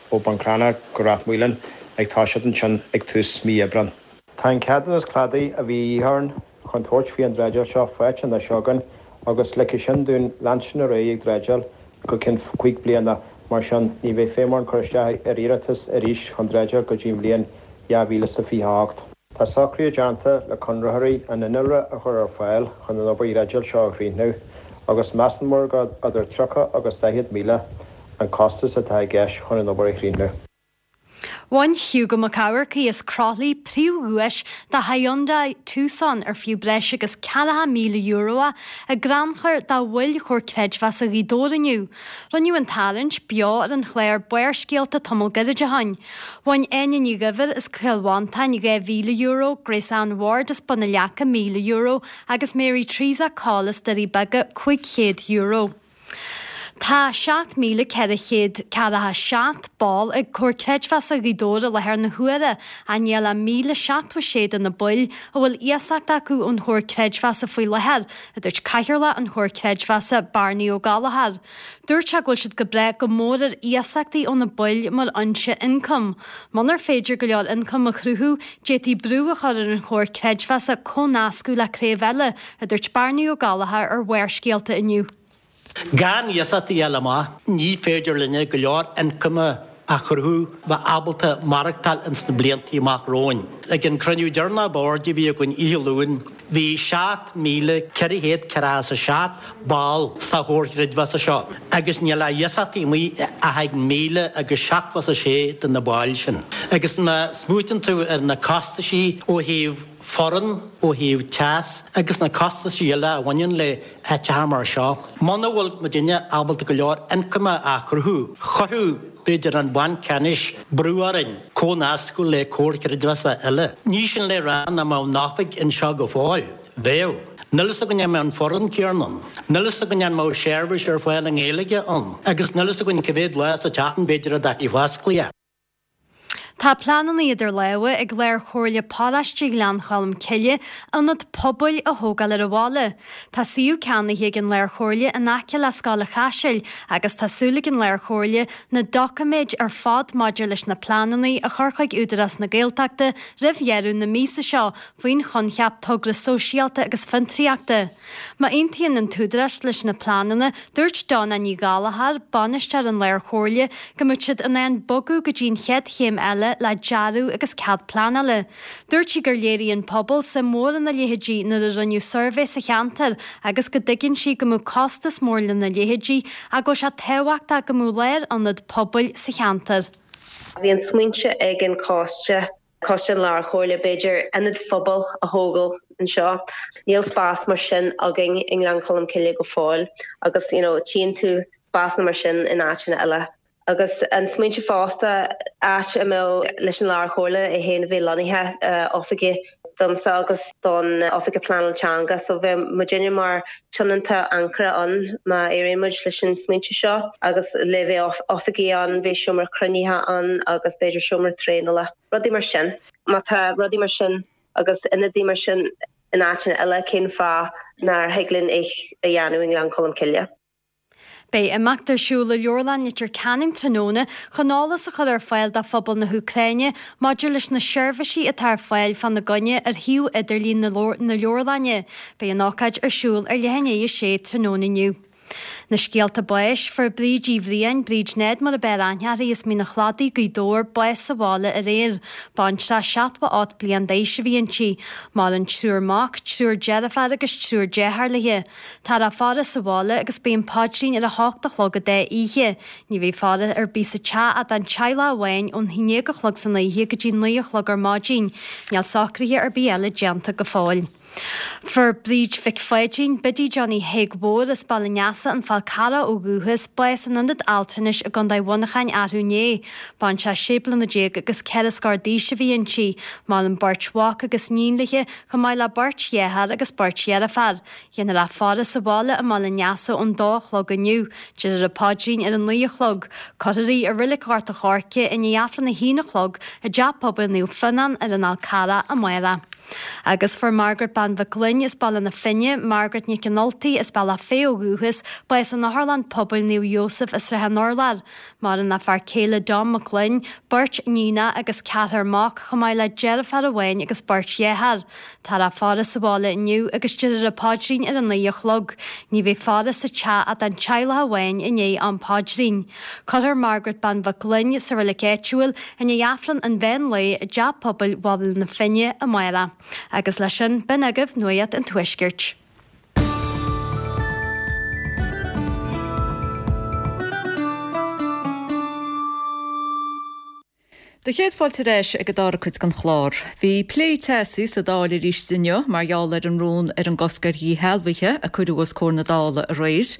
ó Bhun Cranncha go Ráth Maoláin ag toiseacht ansin ag tús mí Aibreán. Tá an ceadúnas cladaigh a bhí de dhíth orainn chun tabhairt faoi an dreideáil seo faighte anois againn agus ligfidh sin dúinn leanstan ar aghaidh ag dreideáil go ceann cúig bliana. Mar sin ní bheidh feidhm orainn cur isteach ar iarratas arís chun dreideáil go dtí an bhliain dhá mhíle is a fiche a hocht. Tá socruithe déanta le conraitheoirí an innealra a chur ar fáil chun an obair dhreideáil seo a chríochnú, agus measann muid gur idir tríocha agus daichead míle an costas atá i gceist chun an obair a chríochnú. Bhain Hugo Mac Eamharcaigh as Croithlí príomhdhuais de Hyundai Tucson ar fiú breis agus ceathracha míle euro é i gcrannchur do bhaill Chomhar Creidmheasa Ghaoth Dobhair inniu. Rinneadh an tarraingt beo ar an chlár Barrscéalta tamall gairid ó shin. Bhain Áine Ní Dhuibhir as Cill Mhantáin dhá mhíle euro, Grace Ann Ward as Bun na Leaca míle euro agus Mary Teresa Call as Doirí Beaga cúig chéad euro. Tá seacht míle ceithre chéad ceathracha seacht ball ag Comhar Creidmheasa Ghaoth Dobhair i láthair na huaire, ach níl ach míle seachtó sé de na baill a bhfuil iasacht acu ón Chomhar Creidmheasa faoi láthair, a dúirt Cathaoirleach an Chomhar Creidmheasa, Barney Ó Gallchóir. Dúirt sé go bhfuil siad ag brath go mór ar iasachtaí ó na baill mar fhoinse ioncaim. Munar féidir go leor ioncaim a chruthú, d'fhéadfaí brú a chur ar an Chomhar Creidmheasa comhnascadh le craobh eile, a dúirt Barney Ó Gallchóir ar Bharrscéalta inniu. Gan iasachtaí a fháil amach, ní féidir linne go leor ioncaim a chruthú bheith ábalta maireachtáil ins na bliantaí amach romhainn. Ag an cruinniú deireanach boird a bhí againn oíche Luain, bhí seacht míle ceithre chéad ceathracha a seacht ball sa Chomhar Creidmheasa seo agus níl ach iasachtaí amuigh ach ag míle agus seachtó a sé de na baill sin. Agus má smaoitíonn tú ar na costaisí ó thaobh foireann, ó thaobh teas agus na costaisí eile a bhaineann le háiteacha mar seo, muna bhfuil muidinne ábalta go leor ioncaim a chruthú, chuirfeadh b'fhéidir an Banc Ceannais brú orainn comhnascadh le comhar creidmheasa eile. Ní sin le rá nach mbeadh an oifig anseo go fóill. Bheadh. Níl fhios againn an mbeadh an foireann céanna ann. Níl fhios againn an mbeadh seirbhís ar fáil i nGaeilge ann. Agus níl fhios againn cá mhéad lá sa tseachtain b'fhéidir a bheadh oscailte. Tá pleananna idir lámha ag Lár-Chomhairle Paróiste Ghleann Cholm Cille ionad pobail a thógáil ar an bhaile. Tá suíomh ceannaithe ag an Lár-Chomhairle in aice le Scoil an Chaisil agus tá súil ag an Lár-Chomhairle na doiciméid ar fad maidir leis na pleananna a chur chuig Údarás na Gaeltachta roimh dheireadh na míosa seo faoin choincheap togra sóisialta agus fiontraíochta. Má aontaíonn an tÚdarás leis na pleananna, dúirt Donna Ní Ghallchóir, bainisteoir an Lár-Chomhairle, go mbeadh siad in ann bogadh go dtí an chéad chéim eile eile le dearadh agus cead pleanála. Dúirt sí gur léirigh an pobal suim mhór ina leithéidí nuair a rinneadh suirbhé sa cheantar agus go dtuigeann sí go mbeadh costas mór lena leithéidí ach go bhfuil sé tábhachtach go mbeadh lárionad pobail sa cheantar. Bhí an smaointe ag an choiste Coiste an Lárchomhairle b'fhéidir ionad phobail a thógáil anseo. Níl spás mar sin againn i nGleann Cholm Cille go fóill agus you know, tchíonn tú spásanna mar sin in áiteanna eile. Agus an smaointe fosta áit a mbeadh leis an Lárchomhairle é féin a bheith lonnaithe uh, oifigí domsa agus don Oifigeach Pleanála Teanga, so bheadh muidinne mar tionónta ancaire ann má éiríonn muid leis an smaointe seo agus le bheith oifigí ann, bheith seomra cruinnithe ann agus b'fhéidir seomra traenála. Rudaí mar sin. Má tá rudaí mar sin agus ionadaí mar sin in áiteanna eile cén fáth nár thig linn é a dhéanamh i nGleann Cholm Cille. Beidh imeacht ar siúl i Leabharlann Leitir Ceanainn tráthnóna chun eolas a chur ar fáil do phobal na hÚcráine maidir leis na seirbhísí atá ar fáil fána gcoinne ar shuíomh idirlín na leabharlainne. Beidh an ócáid ar siúl ar leath i ndiaidh a sé tráthnóna inniu. Na scéalta báis, fuair Bríd Uí Bhriain, Bríd Ned mar ab fhearr aithne uirthi as Mín an Chladaigh, Gaoth Dobhair, bás sa bhaile aréir. Baintreach seachtó ocht bliain d'aois a bhí inti. Maireann triúr mac, triúr deirfiúr agus triúr dearthár léi. Táthar á faire sa bhaile agus beidh an paidrín ar a hocht a chlog i dá oíche. Ní bheidh faire ar bith sa teach ach don teaghlach amháin ón haon déag a chlog san oíche go dtí naoi a chlog ar maidin. Níl socruithe ar bith eile déanta go fóill. Fuair Bríd Mhic Pháidín, Biddy Johnny Thaidhg Mhóir as Baile an Easa an Fál Carrach ó dhúchas, bás in ionad altranais i gContae Mhuineacháin arú inné. Baintreach sé bliana déag agus ceithre scór d'aois a bhí inti, maireann beirt mhac agus iníon léi, chomh maith le beirt dhearthár agus beirt dheirfiúr. Déanfar a faire sa bhaile i mBaile an Easa ón dó a chlog inniu. Déarfar an paidrín ar a naoi a chlog. Cuirfear í i Reilig Ghort an Choirce i ndiaidh Aifreann a haon a chlog i dTeach Pobail Naomh Fionnán ar an Fhál Carrach amárach. Agus fuair Margaret Bean Mhic Gloinn as Baile na Finne, Margaret Nic an Ultaigh as Bealach Féich ó dhúchas, bás in Otharlann Pobail Naomh Iósaf i Srath an Urláir. Maireann a fear céile Dom Mac Gloinn, beirt níonacha agus ceathrar mac, chomh maith le deirfiúr amháin agus beirt dhearthár. Táthar á faire sa bhaile inniu agus déarfar an paidrín ar a naoi a chlog. Ní bheidh faire sa teach ach don teaghlach amháin i ndiaidh am paidrín. Cuirfear Margaret Bean Mhic Gloinn sa reilig áitiúil i ndiaidh Aifreann an mheán lae i dTeach Pobail Bhaile na Finne amárach. Agus leis sin, b'in agaibh Nuacht an Tuaiscirt. Do chéad fáilte ar ais ag an dara cuid den chlár. Bhí plé teasaí sa Dáil arís inniu mar gheall ar an rún ar an gcosc ar dhíshealbhuithe a cuireadh os comhair na Dála aréir.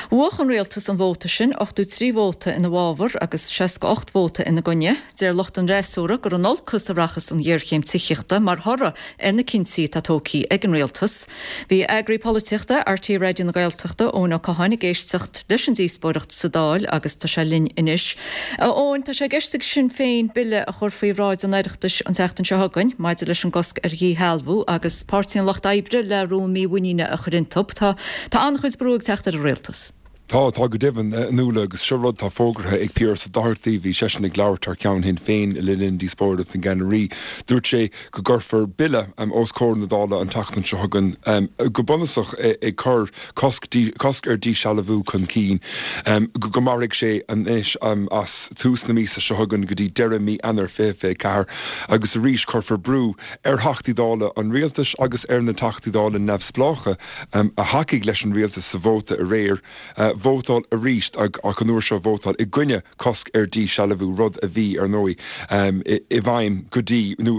Bhuaigh an rialtas an vóta sin ochtó trí vóta ina bhfabhar agus seasca ocht vóta ina gcoinne. Deir lucht an fhreasúra gur in olcas a rachas an ghéarchéim tithíochta mar thoradh ar na cinntí atá tógtha ag an rialtas. Bhí eagraí polaitíochta RTÉ Raidió na Gaeltachta Eoin Ó Catháin ag éisteacht leis an díospóireacht sa Dáil agus tá sé linn anois. Eoin, tá sé i gceist ag Sinn Féin bille a chur faoi bhráid an Oireachtais an tseachtain seo chugainn maidir leis an gcosc ar dhíshealbhú agus Páirtí an Lucht Oibre le rún mímhuiníne a chur iontu. Tá tá an-chuid brú ag teacht ar an rialtas. Tá tá go deimhin a Nuala agus seo rud tá fógartha ag Pearse Doherty bhí seisean ag labhairt thar ceann Shinn Féin le linn díospóireacht na gceannairí. Dúirt sé go gcuirfear bille um, os comhair na Dála an tseachtain seo chugainn um, go bunúsach ag cur cosc, cosc ar díshealbhú chun cinn um, go go mairfidh sé anois um, as tús na míosa seo chugainn go dtí deireadh mí Eanáir fiche fiche ceathair agus arís cuirfear brú ar Theachtaí Dála an rialtais agus ar na Teachtaí Dála neamhspleácha um, a thacaigh leis an rialtas sa vóta aréir. Uh, vótáil arís ach an uair seo vótáil i gcoinne cosc ar díshealbhú rud a bhí ar ndóigh um, i, i bhfeidhm go dtí nó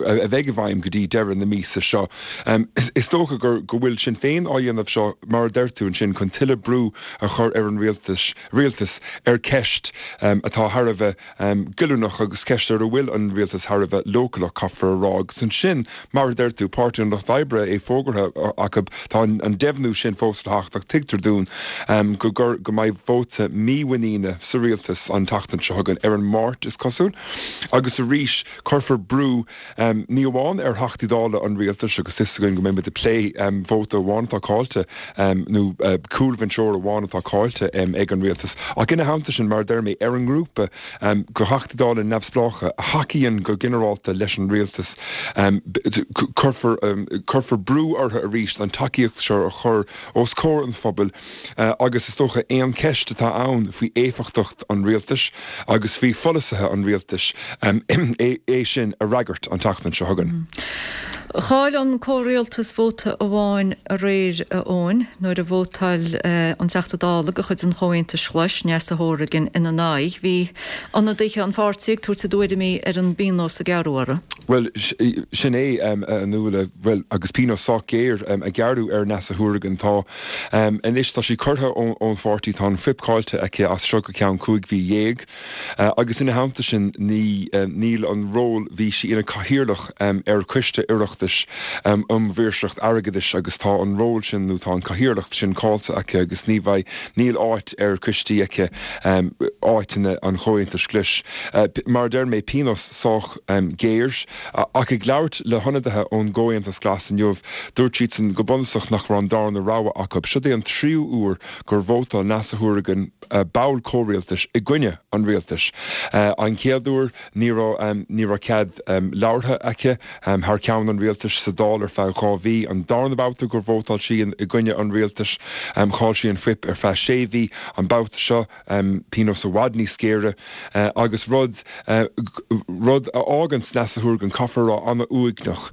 a bheidh i bhfeidhm go dtí deireadh na míosa seo. Um, is, is dócha gur go bhfuil Sinn Féin á dhéanamh seo mar a deir tú ansin chun tuilleadh brú a chur ar an rialtas, rialtas ar ceist um, atá thar a bheith um, goilliúnach agus ceist ar a bhfuil an rialtas thar a bheith leochaileach caithfear a rá agus ansin mar a deir tú Páirtí an Lucht Oibre é fógartha acu tá an, an deimhniú sin fós le theacht ach tuigtear dúinn um, go gur go mbeidh vóta mímhuiníne sa rialtas an tseachtain seo chugainn ar an Máirt is cosúil agus arís cuirfear brú um, ní amháin ar Theachtaí Dála an rialtais agus is againn go mbeidh plé um, vóta amháin atá caillte um, nó uh, cúlbhinseoir amháin atá caillte um, ag an rialtas. Ach ina theannta sin mar deir mé ar an ngrúpa um, de Theachtaí Dála neamhspleácha a thacaíonn go ginearálta leis an rialtas um, cuirfear um, cuirfear brú orthu arís an tacaíocht seo a chur os comhair an phobail uh, agus is dócha aon cheist atá ann faoi éifeachtacht an rialtais agus faoi pholasaithe an rialtais é sin a fhreagairt an tseachtain seo chugainn. Chaill an comhrialtas vóta amháin aréir, a Eoin, nuair a vótáil an Teachta Dála de chuid an Chomhaontais Ghlais, Neasa Hourigan, ina n-aghaidh. Bhí ionadaithe an pháirtí ag tabhairt a dtuairimí ar an bpionós a gearradh orthu. Bhuel, sin é, a Nuala, bhuel, agus pionós sách géar a gearradh ar Neasa Hourigan. Tá, anois tá sí curtha ón pháirtí, tá an fuip caillte aici as seo go ceann cúig mhí dhéag. Agus ina theannta sin, ní, níl an ról, bhí sí ina cathaoirleach ar Choiste Oireachtais um Maoirseacht Airgeadais agus tá an ról sin nó tá an cathaoirleacht sin caillte aici agus ní bheidh, níl áit ar choistí aici, áiteanna an Chomhaontais Ghlais. Mar a deir mé, pionós sách géar. Ach ag labhairt le hionadaithe ón gComhaontas Glas inniu, dúirt siadsan go bunúsach nach raibh an darna rogha acu. Seo é an tríú huair gur vótáil Neasa Hourigan, ball comhrialtais, i gcoinne an rialtais. An chéad uair ní raibh ní raibh cead labhartha aici thar ceann an rialtais sa Dáil ar feadh dhá mhí. An darna babhta gur vótáil sí i gcoinne an rialtais, chaill sí an fuip ar feadh sé mhí. An babhta seo, pionós i bhfad níos géire agus rud rud a fhágann Neasa Hourigan, caithfear a rá, an-uaigneach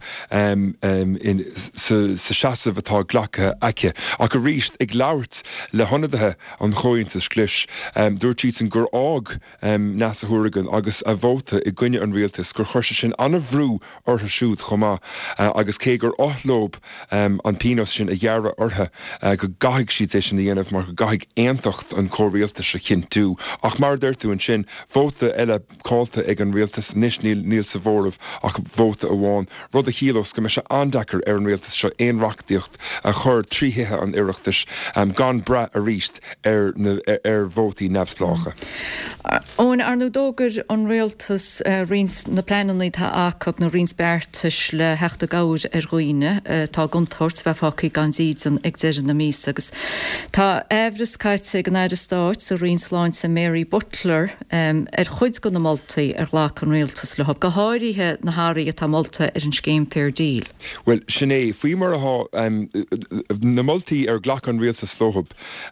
sa seasamh atá glactha aici. Ach arís, ag labhairt le hionadaithe an Chomhaontais Ghlais, dúirt siadsan gur fhág Neasa Hourigan agus a vóta i gcoinne an rialtais, gur chuir sé sin an-bhrú orthu siúd chomh maith agus cé gur oth leo an pionós sin a ghearradh orthu, go gcaithfidh siad é sin a dhéanamh mar go gcaithfidh aontacht an chomhrialtais a chinntiú. Ach mar a deir tú ansin, vóta eile caillte ag an rialtas, anois níl sa mhóramh ach vóta amháin, rud a chiallós go mbeidh sé an-deacair ar an rialtas seo aon reachtaíocht a chur trí Thithe an Oireachtais gan brath arís ar na ar vótaí neamhspleácha. Eoin, ar ndóigh d'fhógair an rialtas roinnt na pleananna atá acu nó roinnt beartais le theacht i gcabhair ar dhaoine atá i gcontúirt bheith fágtha gan dídean ag deireadh na míosa agus tá aimhreas caite ag an Aire Stáit sa Roinn Sláinte Mary Butler ar chuid de na moltaí ar ghlac an rialtas leo, go háirithe na hathruithe atá molta ar an scéim Fair Deal. Bhuel, sin é, faoi mar atá na moltaí ar ghlac an rialtas leo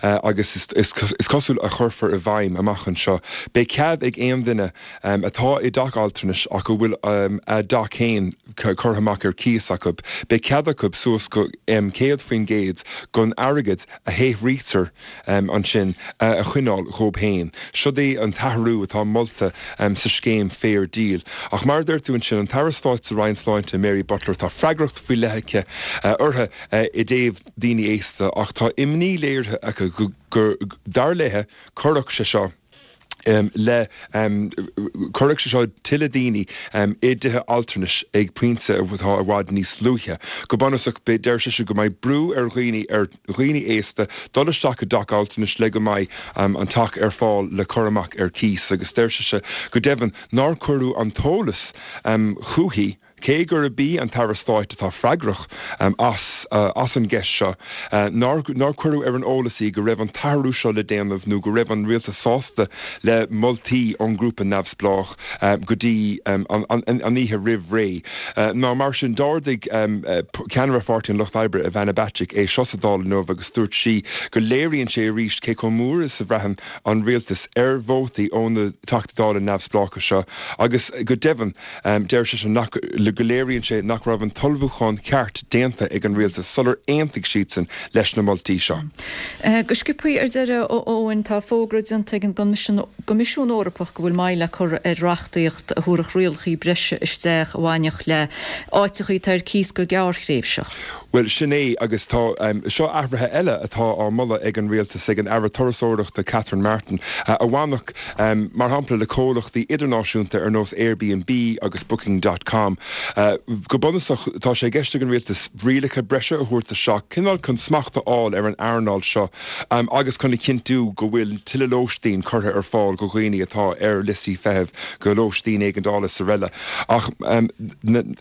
agus is cosúil a chuirfear i bhfeidhm amach anseo, beidh cead ag aon duine atá i dteach altranais ach a bhfuil a dteach féin curtha amach ar cíos acu, beidh cead acu suas go céad faoin gcéad den airgead a shaothraítear ansin a choinneáil dhóibh féin. Siod é an t-athrú atá molta sa scéim Fair Deal. Ach mar a deir tú ansin, an tAire Stáit sa Roinn Sláinte, Mary Butler, tá freagracht faoi leith aici uirthi i dtaobh daoine aosta ach tá imní léirithe aici go, dar léi, cuirfeadh sé seo le, cuirfeadh sé seo tuilleadh daoine i dtithe altranais ag pointe atá i bhfad níos luaithe. Go bunúsach, deir sise go mbeidh brú ar dhaoine, ar dhaoine aosta dul isteach i dteach altranais le go mbeidh an teach ar fáil le cur amach ar cíos agus deir sise go deimhin nár cuireadh an t-eolas chuici Cé gurb í an tAire Stáit atá freagrach as as an gceist seo, nár nár cuireadh ar an eolas í go raibh an t-athrú seo le déanamh nó go raibh an Rialtas sásta le moltaí ón ngrúpa neamhspleách go dtí an an oíche roimh ré. Ná mar sin, d'ardaigh ceannaire Pháirtí an Lucht Oibre, Ivana Bacik, é seo sa Dáil inniu agus dúirt sí go léiríonn sé arís cé chomh mór is a bhraitheann an Rialtas ar vótaí ó na Teachtaí Dála neamhspleácha seo agus go deimhin deir sise nach go léiríonn sé nach raibh an t-ullmhúchán ceart déanta ag an Rialtas sular aontaigh siadsan leis na moltaí seo. Go sciobtha ar deireadh, a Eoin, tá fógra déanta ag an gCoimisiún Eorpach go bhfuil moill le cur ar reachtaíocht a thabharfadh rialacha breise isteach a bhainfeadh le áiteacha atá ar cíos go gearrthréimhseach. Bhuel, sin é, agus tá, seo athruithe eile atá á moladh ag an Rialtas, ag an Aire Turasóireachta Catherine Martin, a bhainfeadh, mar shampla, le comhlachtaí idirnáisiúnta ar nós Airbnb agus Booking dot com. Go bunúsach, tá sé i gceist ag an Rialtas rialacha breise a thabhairt isteach, cineál chun smacht a fháil ar an earnáil seo agus chun a chinntiú go bhfuil tuilleadh lóistín curtha ar fáil do dhaoine atá ar liostaí feithimh do lóistín éigeandála is araile. Ach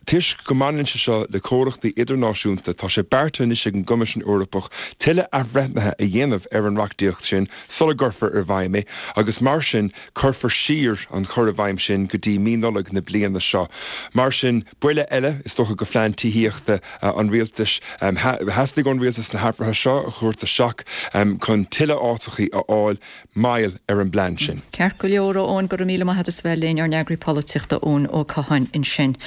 toisc go mbaineann sé seo le comhlachtaí idirnáisiúnta, tá Tá sé beartaithe anois ag an gCoimisiún Eorpach tuilleadh athbhreithnithe a dhéanamh ar an reachtaíocht sin sula gcuirfear i bhfeidhm é agus mar sin cuirfear siar an cur i bhfeidhm sin go dtí mí Nollag na bliana seo. Mar sin buille eile is dócha do phlean tithíochta an rialtais. Theastaigh ón rialtas na hathruithe seo a thabhairt isteach chun tuilleadh áiteachaí a fháil moill ar an bplean sin. Ceart go leor, a Eoin, go raibh míle maith agat as bheith linn, ár n-eagraí polaitíochta Eoin Ó Catháin ansin.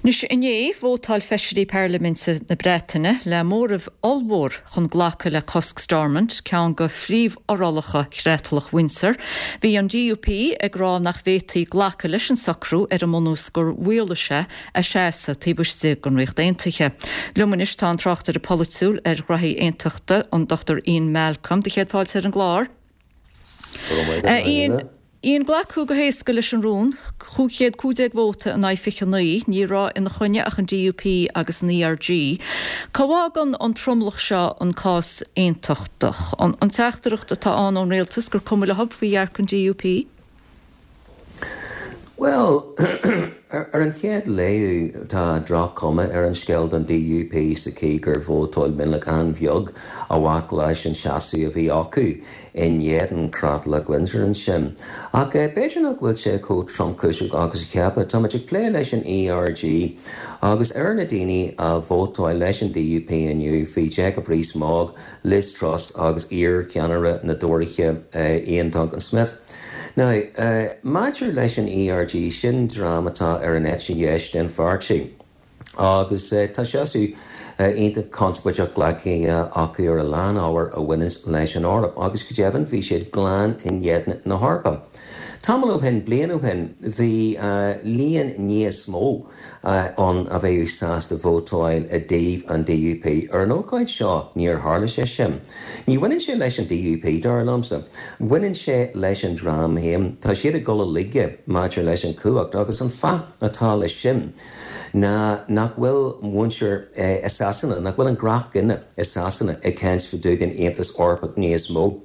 Anois inné, vótáil feisirí parlaiminte na Breataine le móramh ollmhór chun glacadh le cosc Stormont, ceann de phríomhfhorálacha Chreatlach Windsor. Bhí an D U P ag rá nach bhféadfaí glacadh leis an socrú ar an mbunús gur mhaolaigh sé a seasamh taobh istigh den Ríocht Aontaithe. Liom anois tá an tráchtaire polaitiúil ar ghraithí aontachta, an Dochtúir Ian Malcolm, do chéad fáilte ar an gclár. Ian, Ian glacadh go héasca leis an rún, cúig chéad cúig déag vóta in aghaidh fiche naoi, ní raibh ina choinne ach an D U P agus an E R G. Cá bhfágann an tromlach seo an cás aontachtach? An, an teachtaireacht atá ann ón rialtas gur cuma leo faoi dhearcadh an D U P? Well, ar an chéad léamh tá droch-chuma ar an scéal don D U P sa chaoi gur vótáil mionlach an-bheag a bhac leis an seasamh a bhí acu in éadan Creatlach Windsor ansin. Ach b'fhéidir nach bhfuil sé chomh tromchúiseach agus a cheapfá. Táimid ag plé leis an E R G agus ar na daoine a vótáil leis an D U P inniu bhí Jacob Rees-Mogg, Liz Truss agus iar-cheannaire na dTóraithe Iain Duncan Smith. Now, uh, maidir leis an E R G sin dream atá ar an eite dheis den pháirtí. Agus uh, tá seasamh uh, iontach conspóideach glactha acu ar a lán ábhar a bhaineann leis an Eoraip, agus go deimhin bhí siad glan in éadan na hEorpa. Tamall ó shin bliain ó shin bhí uh, líon níos mó uh, ann a bheadh sásta vótáil i dtaobh an D U P ar an ócáid seo níor tharla sé sin. Ní bhaineann sé leis an D U P dar liomsa. Baineann sé leis an dream féin tá siad ag dul i laige maidir leis an chumhacht agus an fáth atá leis sin ná nach bhfuil muintir eh, i Sasana, nach bhfuil an gnáthdhuine i Sasana ag caint fá dtaobh den Aontas Eorpach níos mó.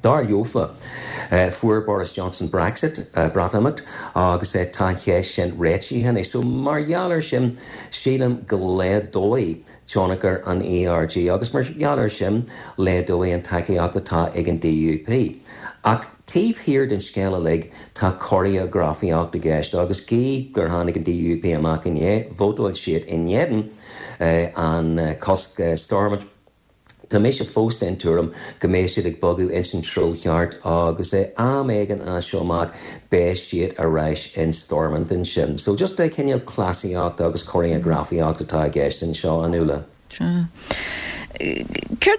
Dar leofa uh, fuair Boris Johnson Brexit uh, Breatimeacht agus uh, tá sé sin réitithe é so mar gheall air sin sílim go laghdóidh tionchar an E R G agus mar gheall air sin laghdóidh an tacaíocht atá ag an D U P. Ach taobh thiar den scéal uilig tá choreografaíocht i gceist agus gí gur tháinig an D U P amach inné vótáil siad in éadan uh, an uh, cosc uh, Stormont. Tá mise fós den tuairim go mbeidh siad ag bogadh in san treo ceart agus é am éigin as seo amach beidh siad arís in Stormont ansin. So just é cineál cleasaíocht agus choreografaíocht atá i gceist anseo a Nuala. Céard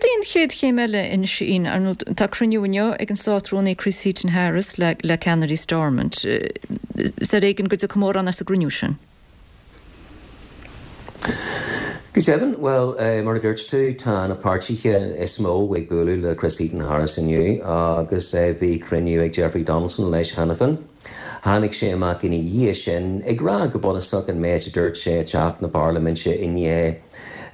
é an chéad chéim eile anois ar tá cruinniú inniu ag an Státrúnaí Chris Heaton Harris le, le ceannairí Stormont. Is ar éigean go dtiocfaidh mórán as an gcruinniú sin. Go deimhin well uh, mar a dúirt tú tá na páirtithe is mó ag bualadh le Chris Heaton Harris inniu agus uh, bhí cruinniú ag Jeffrey Donaldson leis cheana féin. Tháinig sé amach ina dhiaidh sin ag rá go bunúsach an méid a dúirt sé i dteach na Parlaiminte inné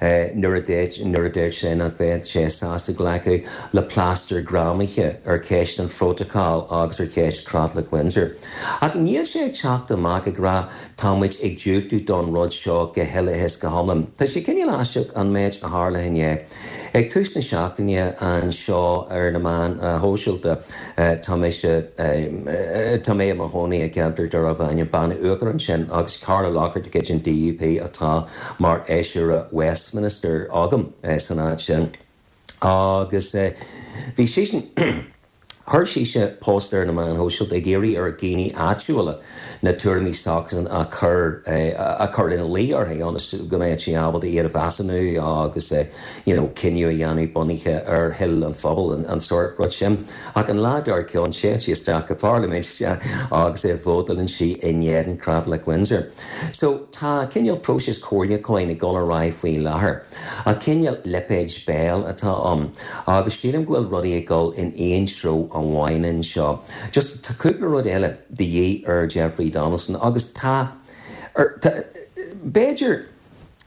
uh, nuair a dúirt sé nach bheadh sé sásta glacadh le plástar greamaithe ar cheist an phrótacail agus ar cheist Creatlach Windsor. Ach níl sé ag teacht amach ag rá táimid ag diúltú don rud seo go huile is go hiomlán. Tá sé cineál aisteach an méid a tharla inné. Ag tús na seachtaine anseo ar na meáin shóisialta tá tá mé i mo chónaí i gceantar darb ainm Banna Uachtar ansin agus Carla Lockhart de chuid an D U P atá mar fheisire Westminster agam san áit sin. Agus bhí sé sin Chuir sise post ar na meáin shóisialta ag iarraidh ar dhaoine áitiúla na tuairimí s'acusan a chur a chur ina luí uirthi ionas go mbeidh sí ábalta iad a mheasúnú agus you know, cinneadh a dhéanamh bunaithe ar thoil an phobail an, an sórt rud sin. Ach an lá dár gcionn téann sí isteach go Parlaimint agus é vótálann sí in éadan Creatlach Windsor. So tá cineál próiseas comhairliúcháin ag dul ar aghaidh faoi láthair. A cineál lipéid béil atá ann agus sílim go bhfuil rudaí ag dul in aon treo amháin anseo. Just tá cúpla rud eile de dhíth ar Jeffrey Donaldson agus tá b'fhéidir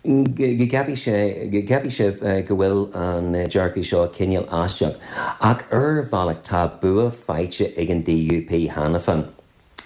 go gceapfaidh sé go gceapfaidh sibh go bhfuil an dearcadh seo cineál aisteach ach ar bhealach tá bua faighte ag an D U P cheana féin.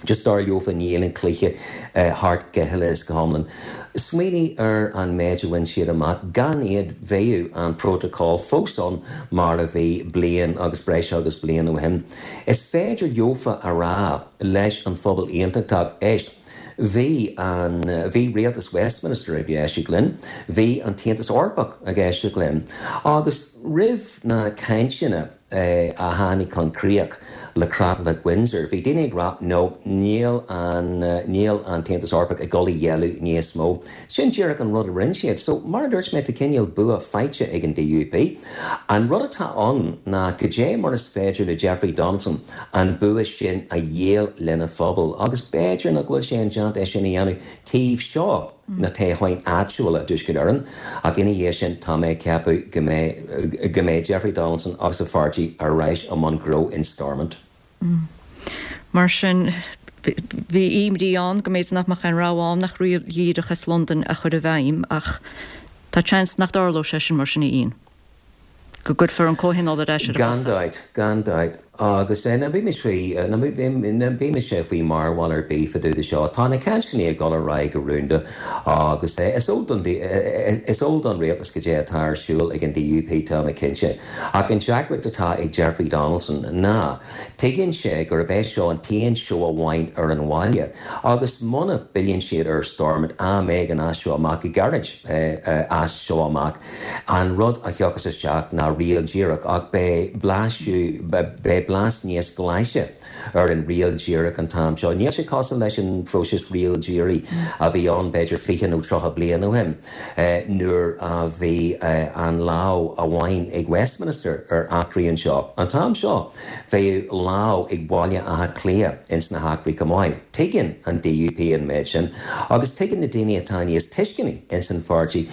Just dar leofa níl an cluiche thart go huile is go hiomlán. Smaoinigh ar an méid a bhain siad amach gan iad bheadh an protocol fós ann mar a bhí bliain agus breis agus bliain ó shin. Is féidir leofa a rá leis an phobal aontachtach, éist, bhí an bhí rialtas Westminster ag éisteacht linn, bhí an tAontas Eorpach ag éisteacht linn agus roimh na cainteanna a tháinig chun críoch le Creatlach Windsor. Bhí daoine ag rá no níl an níl an tAontas Eorpach ag dul a ghéilleadh níos mó. Sin díreach an rud a rinne siad. So mar a dúirt mé tá cineál bua faighte ag an DUP. An rud atá ann ná cad é mar is féidir le Jeffrey Donaldson an bua sin a dhíol lena phobal agus b'fhéidir nach bhfuil sé indéanta é sin a dhéanamh taobh seo na toghcháin áitiúla i dTuaisceart Éireann, ach ina dhiaidh sin tá mé ag ceapadh go mbeidh go mbeidh Jeffrey Donaldson agus a pháirtí ar ais i mbun gnó in Stormont. Mar sin, bhí imní ann go mb'fhéidir nach mbeadh aon rogha ann ach riail dhíreach as Londain a chur i bhfeidhm, ach tá seans nach dtarlódh sé sin mar sin a Ian. Go gcuirfear an comhthionól ar ais ar a Gan chosa. dabht, gan dabht. Agus ná bímis faoi, ná bímis faoi mhearbhall ar bith fá dtaobh de seo. Tá na cainteanna ag dul ar aghaidh go rúnda agus is eol don is eol don rialtas cad é atá ar siúl ag an DUP tá mé cinnte. Ach an deacracht atá ag Jeffrey Donaldson ná tuigeann sé gurb é seo an t-aon seó amháin ar an bhaile agus muna bpilleann siad ar Stormont am éigin as seo amach go gairid as seo amach an rud a thiocfas isteach ná riail díreach ach beidh blaiseadh beidh blas níos glaise ar an riail díreach an t-am seo. Níl sé cosúil leis an phróiseas riail dírí a bhí ann b'fhéidir fiche nó tríocha bliain ó shin nuair a bhí an lámh amháin ag Westminster ar eachtraí anseo. An t-am seo bheadh lámh ag Baile Átha Cliath ins na heachtraí chomh maith. Tuigeann an DUP an méid sin agus tuigeann na daoine atá níos tuisceanaí ins an pháirtí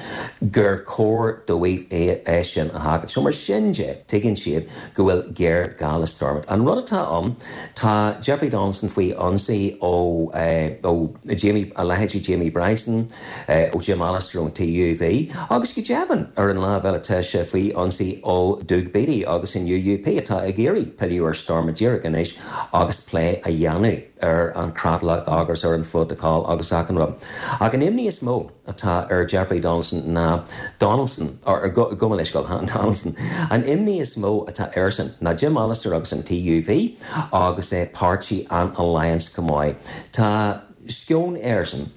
gur chóir dóibh é sin a sheachaint. So mar sin de tuigeann siad go bhfuil géarghá le Stormont. An rud atá ann tá Jeffrey Donaldson faoi ionsaí ó ó Jamie a leithéidí Jamie Bryson, ó Jim Allister ón TUV, agus go deimhin ar an lámh eile tá sé faoi ionsaí ó Doug Beattie agus an UUP atá ag iarraidh pilleadh ar Stormont díreach anois agus plé a dhéanamh ar an creatlach agus ar an phrotocol agus achan rud. Ach an imní is mó atá ar Jeffrey Donaldson ná Donaldson or gabh mo leithscéal Donaldson. An imní is mó atá airsean ná Jim Allister agus an TUV agus é páirtí an Alliance go maith. Tá sceon airsean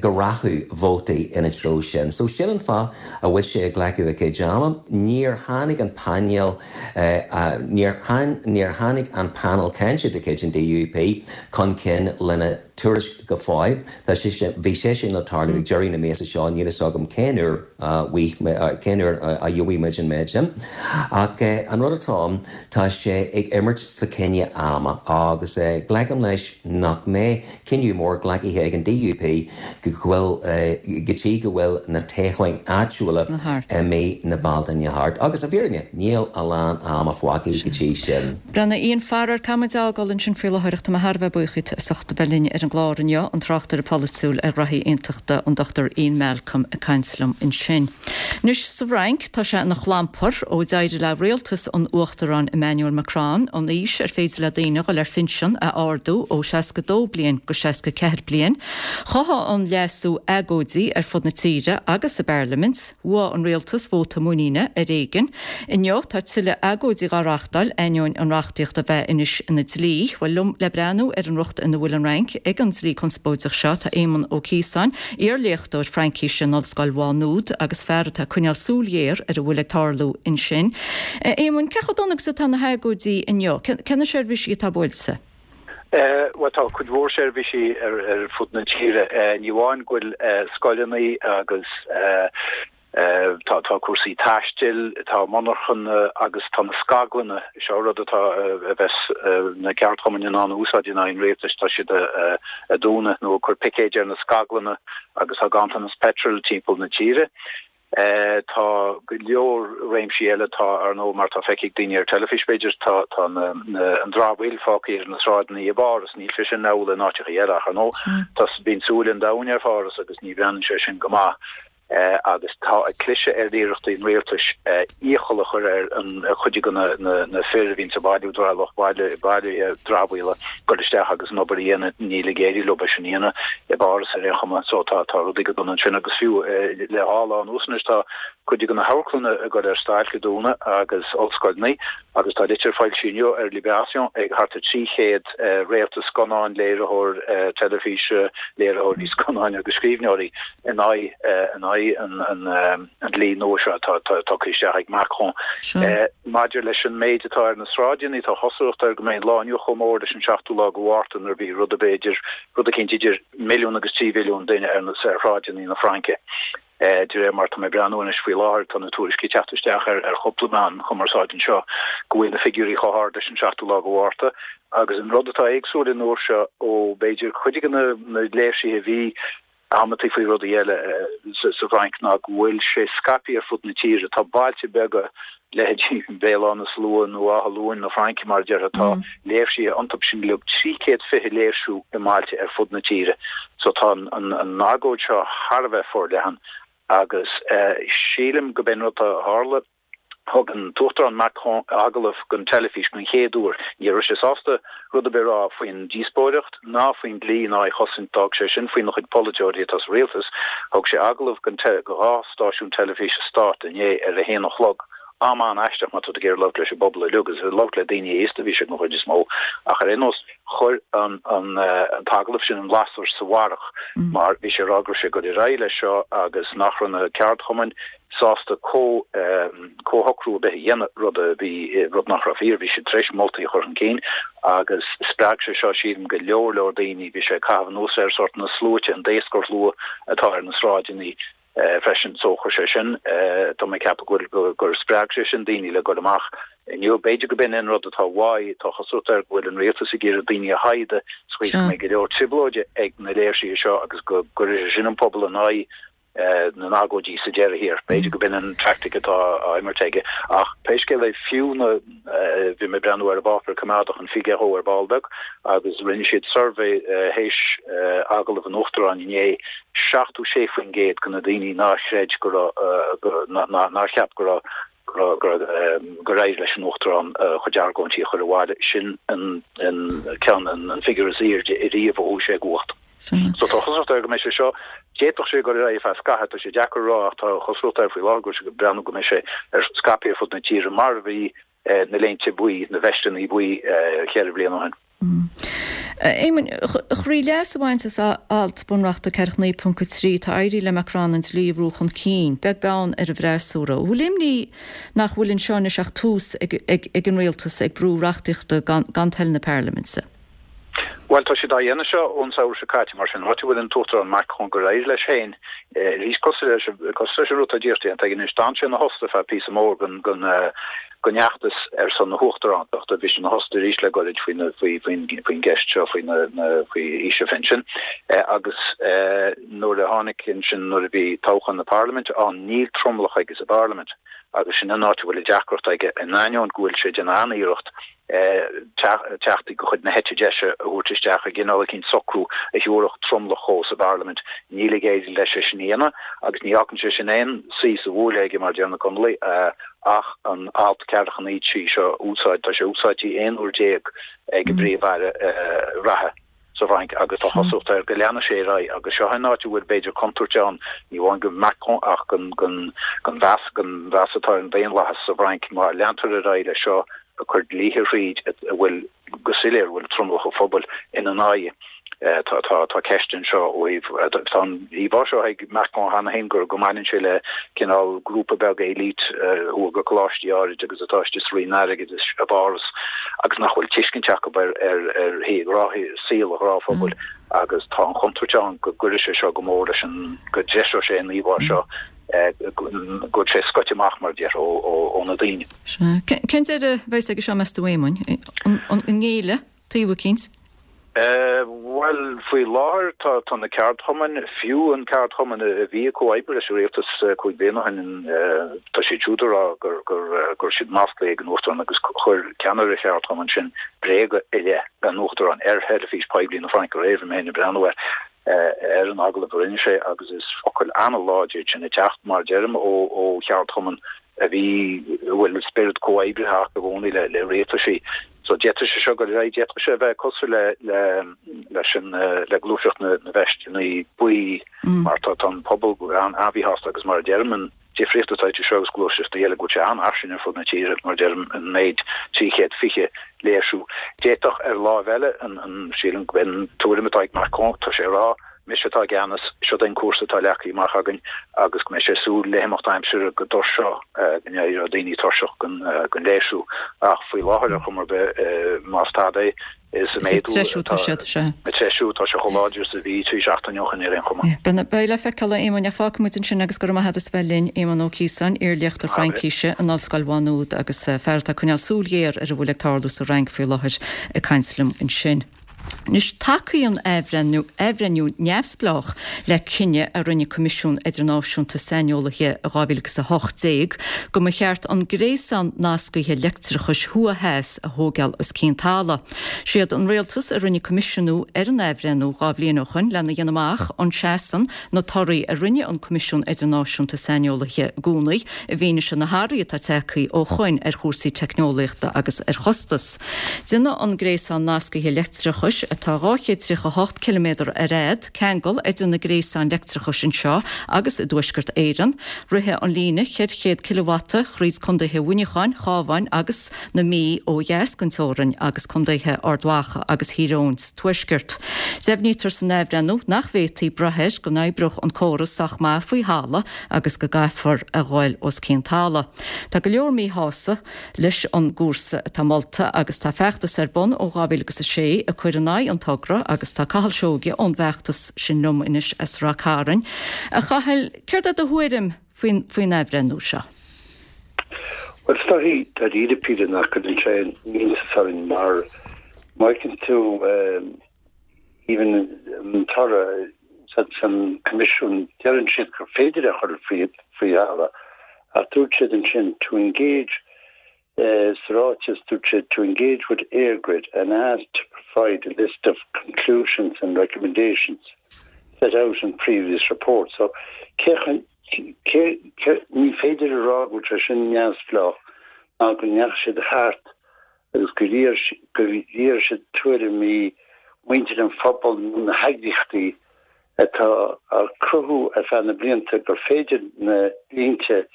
go rachadh vótaí ina treo sin. So sin an fáth a bhfuil sé ag glacadh a chuid ama, níor tháinig an painéal níor níor tháinig an panel cainte de chuid an DUP chun cinn lena tuairisc go fóill. Tá sé sin bhí sé sin le tarlú ag deireadh na míosa seo níl a fhios agam cén uair cén uair a gheobhaidh muid an méid sin. Ach an rud atá ann tá sé ag imirt fá choinne ama agus glacaim leis nach mbeidh cinneadh mór glactha ag an DUP go bhfuil go dtí go bhfuil na toghcháin áitiúla i mí na Bealtaine thart. Agus i bhfírinne níl a lán ama fágtha go dtí sin. Breathnaigh Ian faraor caithfidh muid a fhágáil ansin faoi láthair ach tá mé thar a bheith buíoch díot as ucht a bheith linn ar an gclár inniu an tráchtaire polaitiúil ar ghraithí aontachta an Dr Ian Malcolm ag caint liom ansin. Anois sa Fhrainc tá sé ina chlampar ó d'éirigh le rialtas an Uachtaráin Emmanuel Macron an aois ar féidir le daoine dul ar phinsean a ardú ó seasca dó bliain go seasca ceathair bliain. Chothaigh an leasú agóidí ar fud na tíre agus sa bparlaimint, bhuaigh an rialtas vóta muiníne ar éigean. Inniu tá tuilleadh agóidí á reáchtáil ainneoin an reachtaíocht a bheith anois ina dlí, bhuel liom le breathnú ar an riocht ina bhfuil an Fhrainc ag an dlí conspóideach seo tá Éamonn Ó Ciosáin, iarléachtóir Fraincise in Ollscoil Mhá Nuad agus fear atá ag coinneáil súil ghéar ar a bhfuil ag tarlú ansin. Éamonn, cé chomh dona agus atá na hagóidí inniu? Cé na seirbhísí atá buailte? Bhuel tá cuid mhór seirbhísí ar ar fud na tíre. Ní amháin go bhfuil scoileanna agus tá tá cúrsaí taistil, tá monarchana agus tá na scaglanna, seo rud atá a bheas na ceardchumainn in ann a úsáid in aghaidh an rialtais, tá siad a dúnadh nó ag cur picéid ar na scaglanna agus tá ganntanas peitril timpeall na tíre. Tá go leor réimsí eile, tá, ar ndóigh, mar tá feicthe ag daoine ar teilifís, b'fhéidir, tá tá na na an dramhaíl fágtha ar na sráideanna i bPáras, níl sé sin amhlaidh in áiteacha eile ach ar ndóigh, tá bíonn súil an domhain ar Pháras agus ní bhreathnaíonn sé sin go maith. Agus tá ag cliseadh ar iarrachtaí an rialtais iachall a chur ar an chuid de na fir a bhíonns ag bailiú lucht bailithe dramhaíola dul isteach agus an obair a dhéanamh. Níl ag éirí leo é sin a dhéanamh i bPáras ar aon chuma. So tá tá rudaí go dona ansin agus fiú le dhá lá anuas anois tá cuid de na hamharclanna ag dul ar stailc ag dúnadh agus ollscoileanna agus tá litir foilsithe inniu ar Libération ag thart ar trí chéad réalta scannáin, léiritheoir teilifíse, léiritheoirí scannáin agus scríbhneoirí in aghaidh in aghaidh an an dlí nua seo atá tugtha isteach ag Macron. Maidir leis an méid atá ar na sráideanna, tá cosúlacht air go mbeidh an lá inniu chomh mór leis an seachtú lá de Mhárta nuair a bhí rud b'fhéidir rud eicínt idir milliún agus trí mhilliún duine ar na ar shráideanna na Fraince. De réir mar tá mé ag breathnú anois faoi láthair, tá na tuairiscí ag teacht isteach ar ar chúpla meán chumarsáide anseo go bhfuil na figiúirí chomh hard leis an seachtú lá de Mhárta agus an rud atá éagsúil an uair seo ó b'fhéidir cuid de na léirsithe a bhí amantaí faoi rudaí eile sa Bhfrainc ná go bhfuil sé scaipthe ar fud na tíre. Tá bailte beaga, leithéidí Bhéal Átha na Slua nó Áth Luain na Fraince mar a déarfá, tá léirsithe iontu sin uilig, trí chéad fiche léirsiú i mbailte ar fud na tíre. So tá an agóid seo thar a bheith forleathan agus sílim go b'in rud a tharla. Thug an tUachtarán Macron agallamh don teilifís den chéad uair. Ní raibh sé sásta rud ar bith a rá faoin díospóireacht ná faoin dlí ná é a chosaint, d'fhág sé sin faoina chuid polaiteoirí atá sa rialtas. Thug sé agallamh don dhá stáisiún teilifíse stáit inné ar a haon a chlog, am an-aisteach má tá tú ag iarraidh labhairt leis an bpobal uilig, agus ag labhairt le daoine aosta a bhí sé den chuid is mó, ach ar aon nós chuir an t-agallamh sin an lasair sa bharrach mar bhí sé ag rá go raibh sé ag dul ar aghaidh leis seo agus nach raibh na ceardchumainn sásta comhshocrú ar bith a dhéanamh, rud a bhí, rud nach raibh fíor, bhí siad tar éis moltaí a chur chun cinn agus spreag sé seo, sílim, go leor leor daoine, bhí sé ag caitheamh anuas ar sórt na sluaite, an daoscarshlua atá ar na sráideanna freisin, so chuir sé sin, tá mé ag ceapadh go bhfuil, gur spreag sé sin daoine le dul amach inniu. B'fhéidir go b'in an rud atá uaidh, tá cosúlacht air go bhfuil an rialtas ag iarraidh daoine a shaighdeadh sa chaoi is go mbeidh go leor trioblóide ag na léirsithe seo agus go gcuirfidh sé sin an pobal in aghaidh na n-agóidí sa deireadh thiar. B'fhéidir go b'in an teaictic atá á imirt aige. Ach pé scéal é, fiú na, bhí mé ag breathnú ar an bpáipéar coimeádach, an Figaro ar ball beag, agus rinne siad suirbhé théis agallamh an Uachtaráin inné, seachtó sé faoin gcéad de na daoine nár chreid go raibh, nár cheap go raibh, gur éirigh leis an Uachtarán a chuid argóintí a chur abhaile. Sin an ceann, an figiúr is airde ariamh ó chuaigh sé i gcumhacht. So tá cosúlacht air go mbeidh sé seo, d'fhéadfadh sé dul ar aghaidh ar feadh scaithimh, tá sé deacair a rá ach tá cosúlacht air faoi láthair go bhfuil sé ag breathnú go mbeidh sé ar scaipthe ar fud na tíre mar a bhí na léinte buí, na veisteanna buí ceithre bliana ó shin. A Éamoinn, trí leas a bhaint as alt bunreachta ceathracha naoi ponc a trí, tá éirithe le Macron an dlí a bhrú chun cinn, beag beann ar an bhfreasúra. An bhfuil imní nach bhfuil anseo anois ach tús ag an rialtas ag brú reachtaíochta gan toil na parlaiminte? Bhuel, tá siad á dhéanamh seo ón samhradh seo caite, mar sin, áit a bhfuil an tUachtarán Macron gur éirigh leis féin arís, cosúil leis cosúil leis an rud atá díreach déanta aige anois, d'fhan sé ina thost ar feadh píosa mór den den den fheachtas ar son na huachtarántachta, bhí sé ina thost arís le goirid faoi na faoi faoin faoin gceist seo faoi na na faoi aois an phinsin agus nuair a tháinig ansin nuair a bhí toghchán na parlaiminte ann, níl tromlach aige sa bparlaimint agus sin an áit a bhfuil an deacracht aige, in ainneoin go bhfuil sé ag déanamh an-iarracht teachtaí de chuid na heite deise a thabhairt isteach i gcineál eicínt socrú a thabharfadh tromlach dhó sa bparlaimint. Níl ag éirí leis é sin a dhéanamh agus ní fhágann sé sin aon suí sa bhuaile aige, mar a deir na Conallaigh, ach an alt ceathracha naoi trí seo a úsáid. Tá sé úsáidte aon uair déag ag an bPríomh-Aire reatha. sa bhFrainc agus tá cosúlacht air go leanfaidh sé ar aghaidh agus seo an áit a bhfuil b'fhéidir contúirt ann, ní amháin do Macron ach don mheas, don mheas atá ar an daonlathas sa bhFrainc má leantar ar aghaidh leis seo ag cur dlíthe thríd a bhfuil go soiléir a bhfuil tromlach an phobail ina n-aghaidh. Tá, tá, tá ceist anseo ó thaobh, tá an íomhá seo ag Macron cheana féin gur go mbaineann sé le cineál grúpa beag élite a chuaigh go coláistí áirid agus atá istigh sa Roinn Airgeadais i bPáras agus nach bhfuil tuiscint acu ar saol an ghnáthphobail agus tá an chontúirt ann go gcuirfidh sé seo go mór leis an, go dtreiseoidh sé an íomhá seo, go bhfuil sé scoite amach, mar a déarfá, ó na daoine. Sea. Cén deireadh a bheas aige seo, meas tú, a Éamoinn? An ngéillfidh taobh eicínt? Bhuel, faoi láthair tá tá na ceardchumainn, fiú an ceardchumann a bhí ag comhoibriú leis an rialtas cúig bliana ó shin, tá siad siúd ag rá gur gur gur raibh siad maslaithe ag an Uachtarán agus chuir ceannaire an cheardchumainn sin bréaga i leith an Uachtaráin ar theilifís poiblí na Fraince aréir, bhí mé féin ag breathnú air. ar an agallamh a rinne sé agus is focail an-láidir sin ag teacht, mar a deirim, ó cheardchumann a bhí, a bhfuil spiorad comhoibritheach i gcónaí le le rialtaisí. So d'fhéadfadh sé seo dul ar aghaidh, d'fhéadfadh sé a bheith cosúil le le leis an le gluaiseacht na na veisteanna buí mar tá tá an pobal an-mhíshásta agus mar a deirim an difríocht atá idir seo agus gluaiseachtaí eile go bhfuil sé an-fhairsing ar fud na tíre, mar a deirim an méid trí chéad fiche léirsiú. D'fhéadfadh ar láimh eile an an sílim go b'in an tuairim atá ag Macron, tá sé ag rá mise atá i gceannas, seo é an cúrsa atá leagtha amach againn agus go mbeidh sé ag súil le himeacht aimsire go dtuirseodh, go n-éireodh daoine tuirseach den léirsiú. Ach faoi láthair, ar chuma ar bith, más tada é, is ag méadú atá, ag treisiú, tá sé chomh láidir is a bhí trí seachtaine ó shin ar aon chuma. Beidh le feiceáil, a Éamoinn, ach fágfaidh muid ansin agus go raibh maith agat as bheith linn, Éamonn Ó Ciosáin, iar-léachtóir Fraincíse in Ollscoil Mhá Nuad agus fear atá ag coinneáil súil ghéar ar a bhfuil ag tarlú sa Fhrainc faoi láthair ag caint liom ansin. Anois, tacaíonn athbhreithniú neamhspleách le cinneadh a rinne Coimisiún Idirnáisiúnta Saineolaithe i dhá mhíle agus a hocht déag go mba cheart an gréasán nascaithe leictreachais thuaidh-theas a thógáil os cionn talamh. Siad an Rialtas a rinne coimisiúnú ar an athbhreithniú dhá bhliain ó shoin lena dhéanamh amach an seasann na torthaí a rinne an Coimisiún Idirnáisiúnta Saineolaithe i gcónaí i bhfianaise na hathruithe atá tagtha ó shoin ar chúrsaí teicneolaíochta agus ar chostas. Déanfaidh an gréasán nascaithe leictreachais, atá dhá chéad tríocha a hocht ciliméadar ar fhad, ceangal idir na gréasáin leictreachais anseo agus i dTuaisceart Éireann. Rithfidh an líne ceithre chéad cileavata thríd contaetha Mhuineacháin, Chábháin agus na Mí ó dheas den teorainn agus contaetha Ard Mhacha agus Thír Eoghain sa tuaisceart. Deimhnítear san athbhreithniú nach bhféadfaí brath air go n-oibreodh an córas sách maith faoi thalamh agus go gcaithfear a ghoil os cionn talaimh. Tá go leor míshásta leis an gcúrsa atá molta agus tá feachtas ar bun ó dhá mhíle agus a sé ag cur in aghaidh an togra agus tá Cathal Seoige ón bhfeachtas sin liom anois as Rath Cairn. A Chathail, céard é do thuairim faoin faoin athbhreithniú seo? Bhuel, is dóichí dáiríre píre nach gcuireann sé aon iontas orainn mar má fheiceann tú even an toradh san Coimisiún deireann siad gur féidir é a chur faoi faoi thalamh ach dúirt siad ansin to engage Sa ráiteas, dúirt siad to engage with EirGrid and ask to provide a list of conclusions and recommendations set out in previous reports. So, cé cé cé ní féidir a rá go bhfuil sé sin neamhspleách ná go ndeachaigh siad thart agus gur iarr gur iarr siad tuairimí muintir an phobail nó na heagraíochtaí atá ag cruthú ar feadh na blianta gur féidir na línte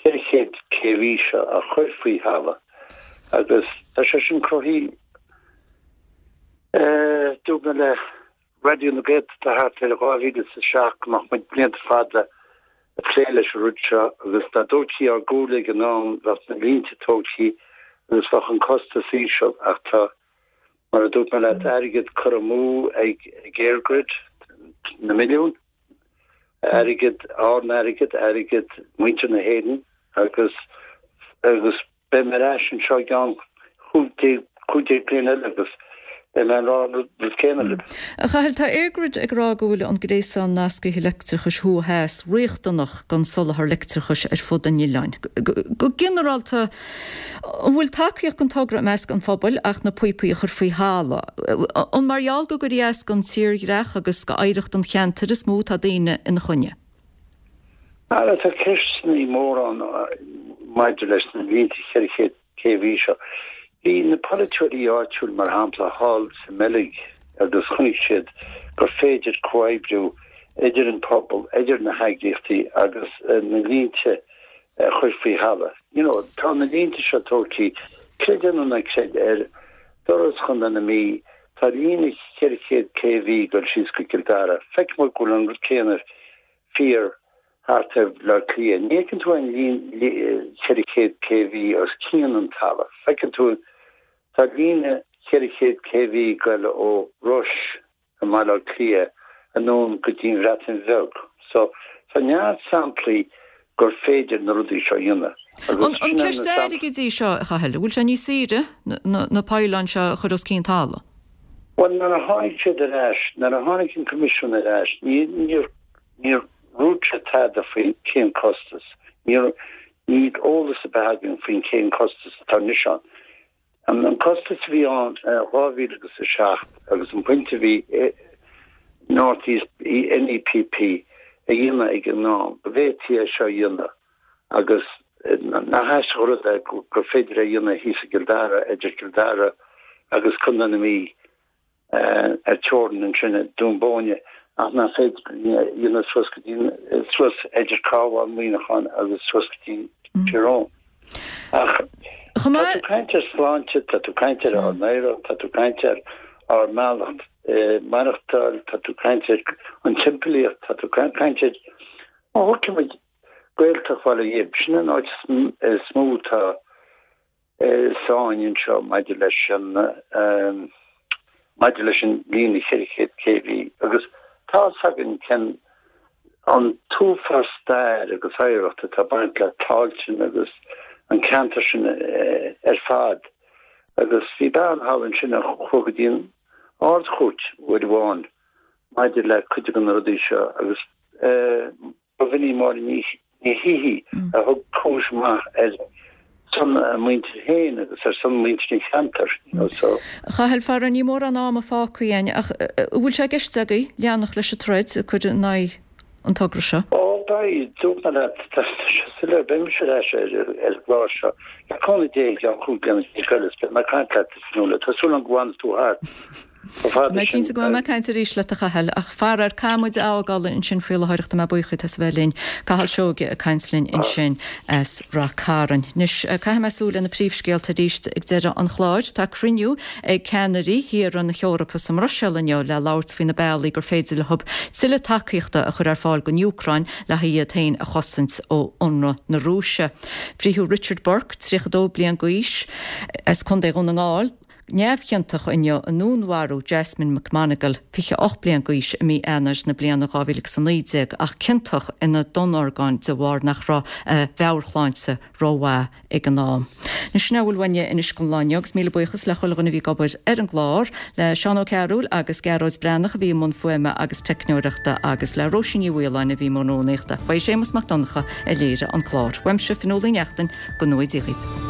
ceithre chéad K V seo a chur faoi thalamh agus tá sé sin cruthaithe. Dúirt mé le Raidió na Gaeltachta thart ar dhá mhíle is a seacht go mbeadh muid blianta fada ag plé leis an rud seo agus dá dtógfaí ár gcomhairle ag an am bheadh na línte tógtha agus bheadh an costas íseal ach tá, mar a dúirt mé leat, airgead curtha amú ag EirGrid, na milliúin. airgead, ár n-airgead, airgead muintir na hÉireann agus agus beidh mé ar ais anseo i gceann cúig déag cúig déag bliain eile agus beidh mé ag rá an rud céanna libh. A Chathail, tá EirGrid ag rá go bhfuil an gréasán nascaithe leictreachais thuaidh-theas riachtanach don soláthar leictreachais ar fud an oileáin. Go ginearálta, an bhfuil tacaíocht don togra i measc an phobail ach na píopaí a chur faoi thalamh? An mar gheall go gcuirfí as don tírdhreach agus d'oidhreacht an cheantair is mó atá daoine ina choinne? Ara, tá ceisteanna móra ann maidir leis na línte ceithre chéad K V seo. Bhí na polaiteoirí áitiúil, mar shampla, thall sa mBeilg agus chonaic siad gur féidir comhoibriú idir an pobal, idir na heagraíochtaí agus na línte a chur faoi thalamh. You know, tá na línte seo tógtha, creid é nó ná creid, ar doras Chontae na Mí, tá líne ceithre chéad K V ag dul síos go Cill Dara. Feicim go bhfuil an rud céanna fíor thart ar Bhaile Átha Cliath. Ní fheiceann tú aon líne ceithre chéad K V os cionn an talaimh. Feiceann tú, tá líne ceithre chéad K V ag dul ó Ruis i mBaile Átha Cliath anonn go dtí an Bhreatain Bheag. So, tá neart samplaí gur féidir na rudaí seo a dhéanamh. Agus An sin é ceist na samplaí. airgid í seo, a Chathail? An bhfuil sé níos saoire na píobáin seo a chur os cionn talaimh? Bhuel, nuair a tháinig siad ar ais, nuair a tháinig an Coimisiún ar ais, ní, níor, níor dhúirt sé tada faoi cén costas. Níor, níl eolas ar bith againn faoin cén costas atá anois ann. An costas a bhí ann dhá mhíle agus a seacht agus an pointe a bhí North East NEPP a dhéanamh ag an am, go bhféadfaí é seo a dhéanamh agus nach aisteach an rud é gur féidir é a dhéanamh thíos i gCill Dara, idir Cill Dara agus Contae na Mí ar teorainn ansin i Dún Bóinne ach nach féidir a dhéanamh suas go dtí suas idir Cabhán, Muineachán agus suas go dtí Tír Eoghain. Ach tá tú ag caint ar sláinte, tá tú ag caint ar ár n-oidhreacht, tá tú ag caint ar ár mbealach maireachtáil, tá tú ag caint ar an timpeallaíocht, tá tú ag caint ar, má thógann muid Gaeltacht Bhaile Ghib, sin an áit is mó atá sáinn anseo maidir leis an maidir leis an líne cheithre chéad kV agus tá fhios againn cén an t-uafás stair agus oidhreacht atá baint le Tailteann agus an ceantar sin ar fad agus bhí bean thall ansin a chuaigh go dtí an Ard-Chúirt uair amháin maidir le cuid de na rudaí seo agus ba bh'in í Máire Ní Shíthigh a thug cúis amach ar son a muintir féin agus ar son muintir an cheantair, you know, so. A Chathail, faraor níl mórán ama fágtha againn ach an bhfuil sé i gceist agaibh leanacht leis an troid ag cur in aghaidh an togra seo? Ó beidh, dúirt mé leat, tá sé soiléir, beidh mise ar ais ar an gclár seo le cúnamh Dé i gceann cúig bliana déag eile is beidh mé ag caint leat a Fionnuala, tá súil agam go bhfanfaidh tú thart. Chomh fada Tá mé sin. cinnte go mbeidh mé ag caint arís leat a Chathail, ach faraor caithfidh muid a fhágáil ansin faoi láthair ach tá mé buíoch díot as a bheith linn. Cathal Seoige ag caint linn ansin as Rath Cairn. Anois caithfidh mé súil ar na príomhscéalta arís ag deireadh an chláir. Tá cruinniú ag ceannairí thíortha na hEorpa sa mBruiséil inniu le labhairt faoi na bealaí gur féidir leo tuilleadh tacaíochta a chur ar fáil don Úcráin le haghaidh iad féin a chosaint ó ionradh na Rúise. Frítheadh Richard Burke, tríocha dó bliain d'aois, as Contae Dhún na nGall, Neamhchiontach inniu i ndúnmharú Jasmine McMonagle, fiche ocht bliain d'aois, i mí Eanáir na bliana dhá mhíle agus a naoi déag, ach ciontach ina donnmhargáin de bharr nach raibh a mheabhairshláinte rómhaith ag an am. Anois sin a bhfuil uainne anois don lá inniu agus míle buíochas le chuile dhuine a bhí ag obair ar an gclár, le Seán Ó Cearúil agus Gearóid Breathnach a bhí i mbun fuaime agus teicneoireachta agus le Róisín Ní Mhaoláin a bhí i mbun rúnaíochta. Ba é Séamus Mac Donncha a léirigh an clár. Uaimse, Fionnuala Ní Neachtain, go ngnóthaí Dia dhaoibh.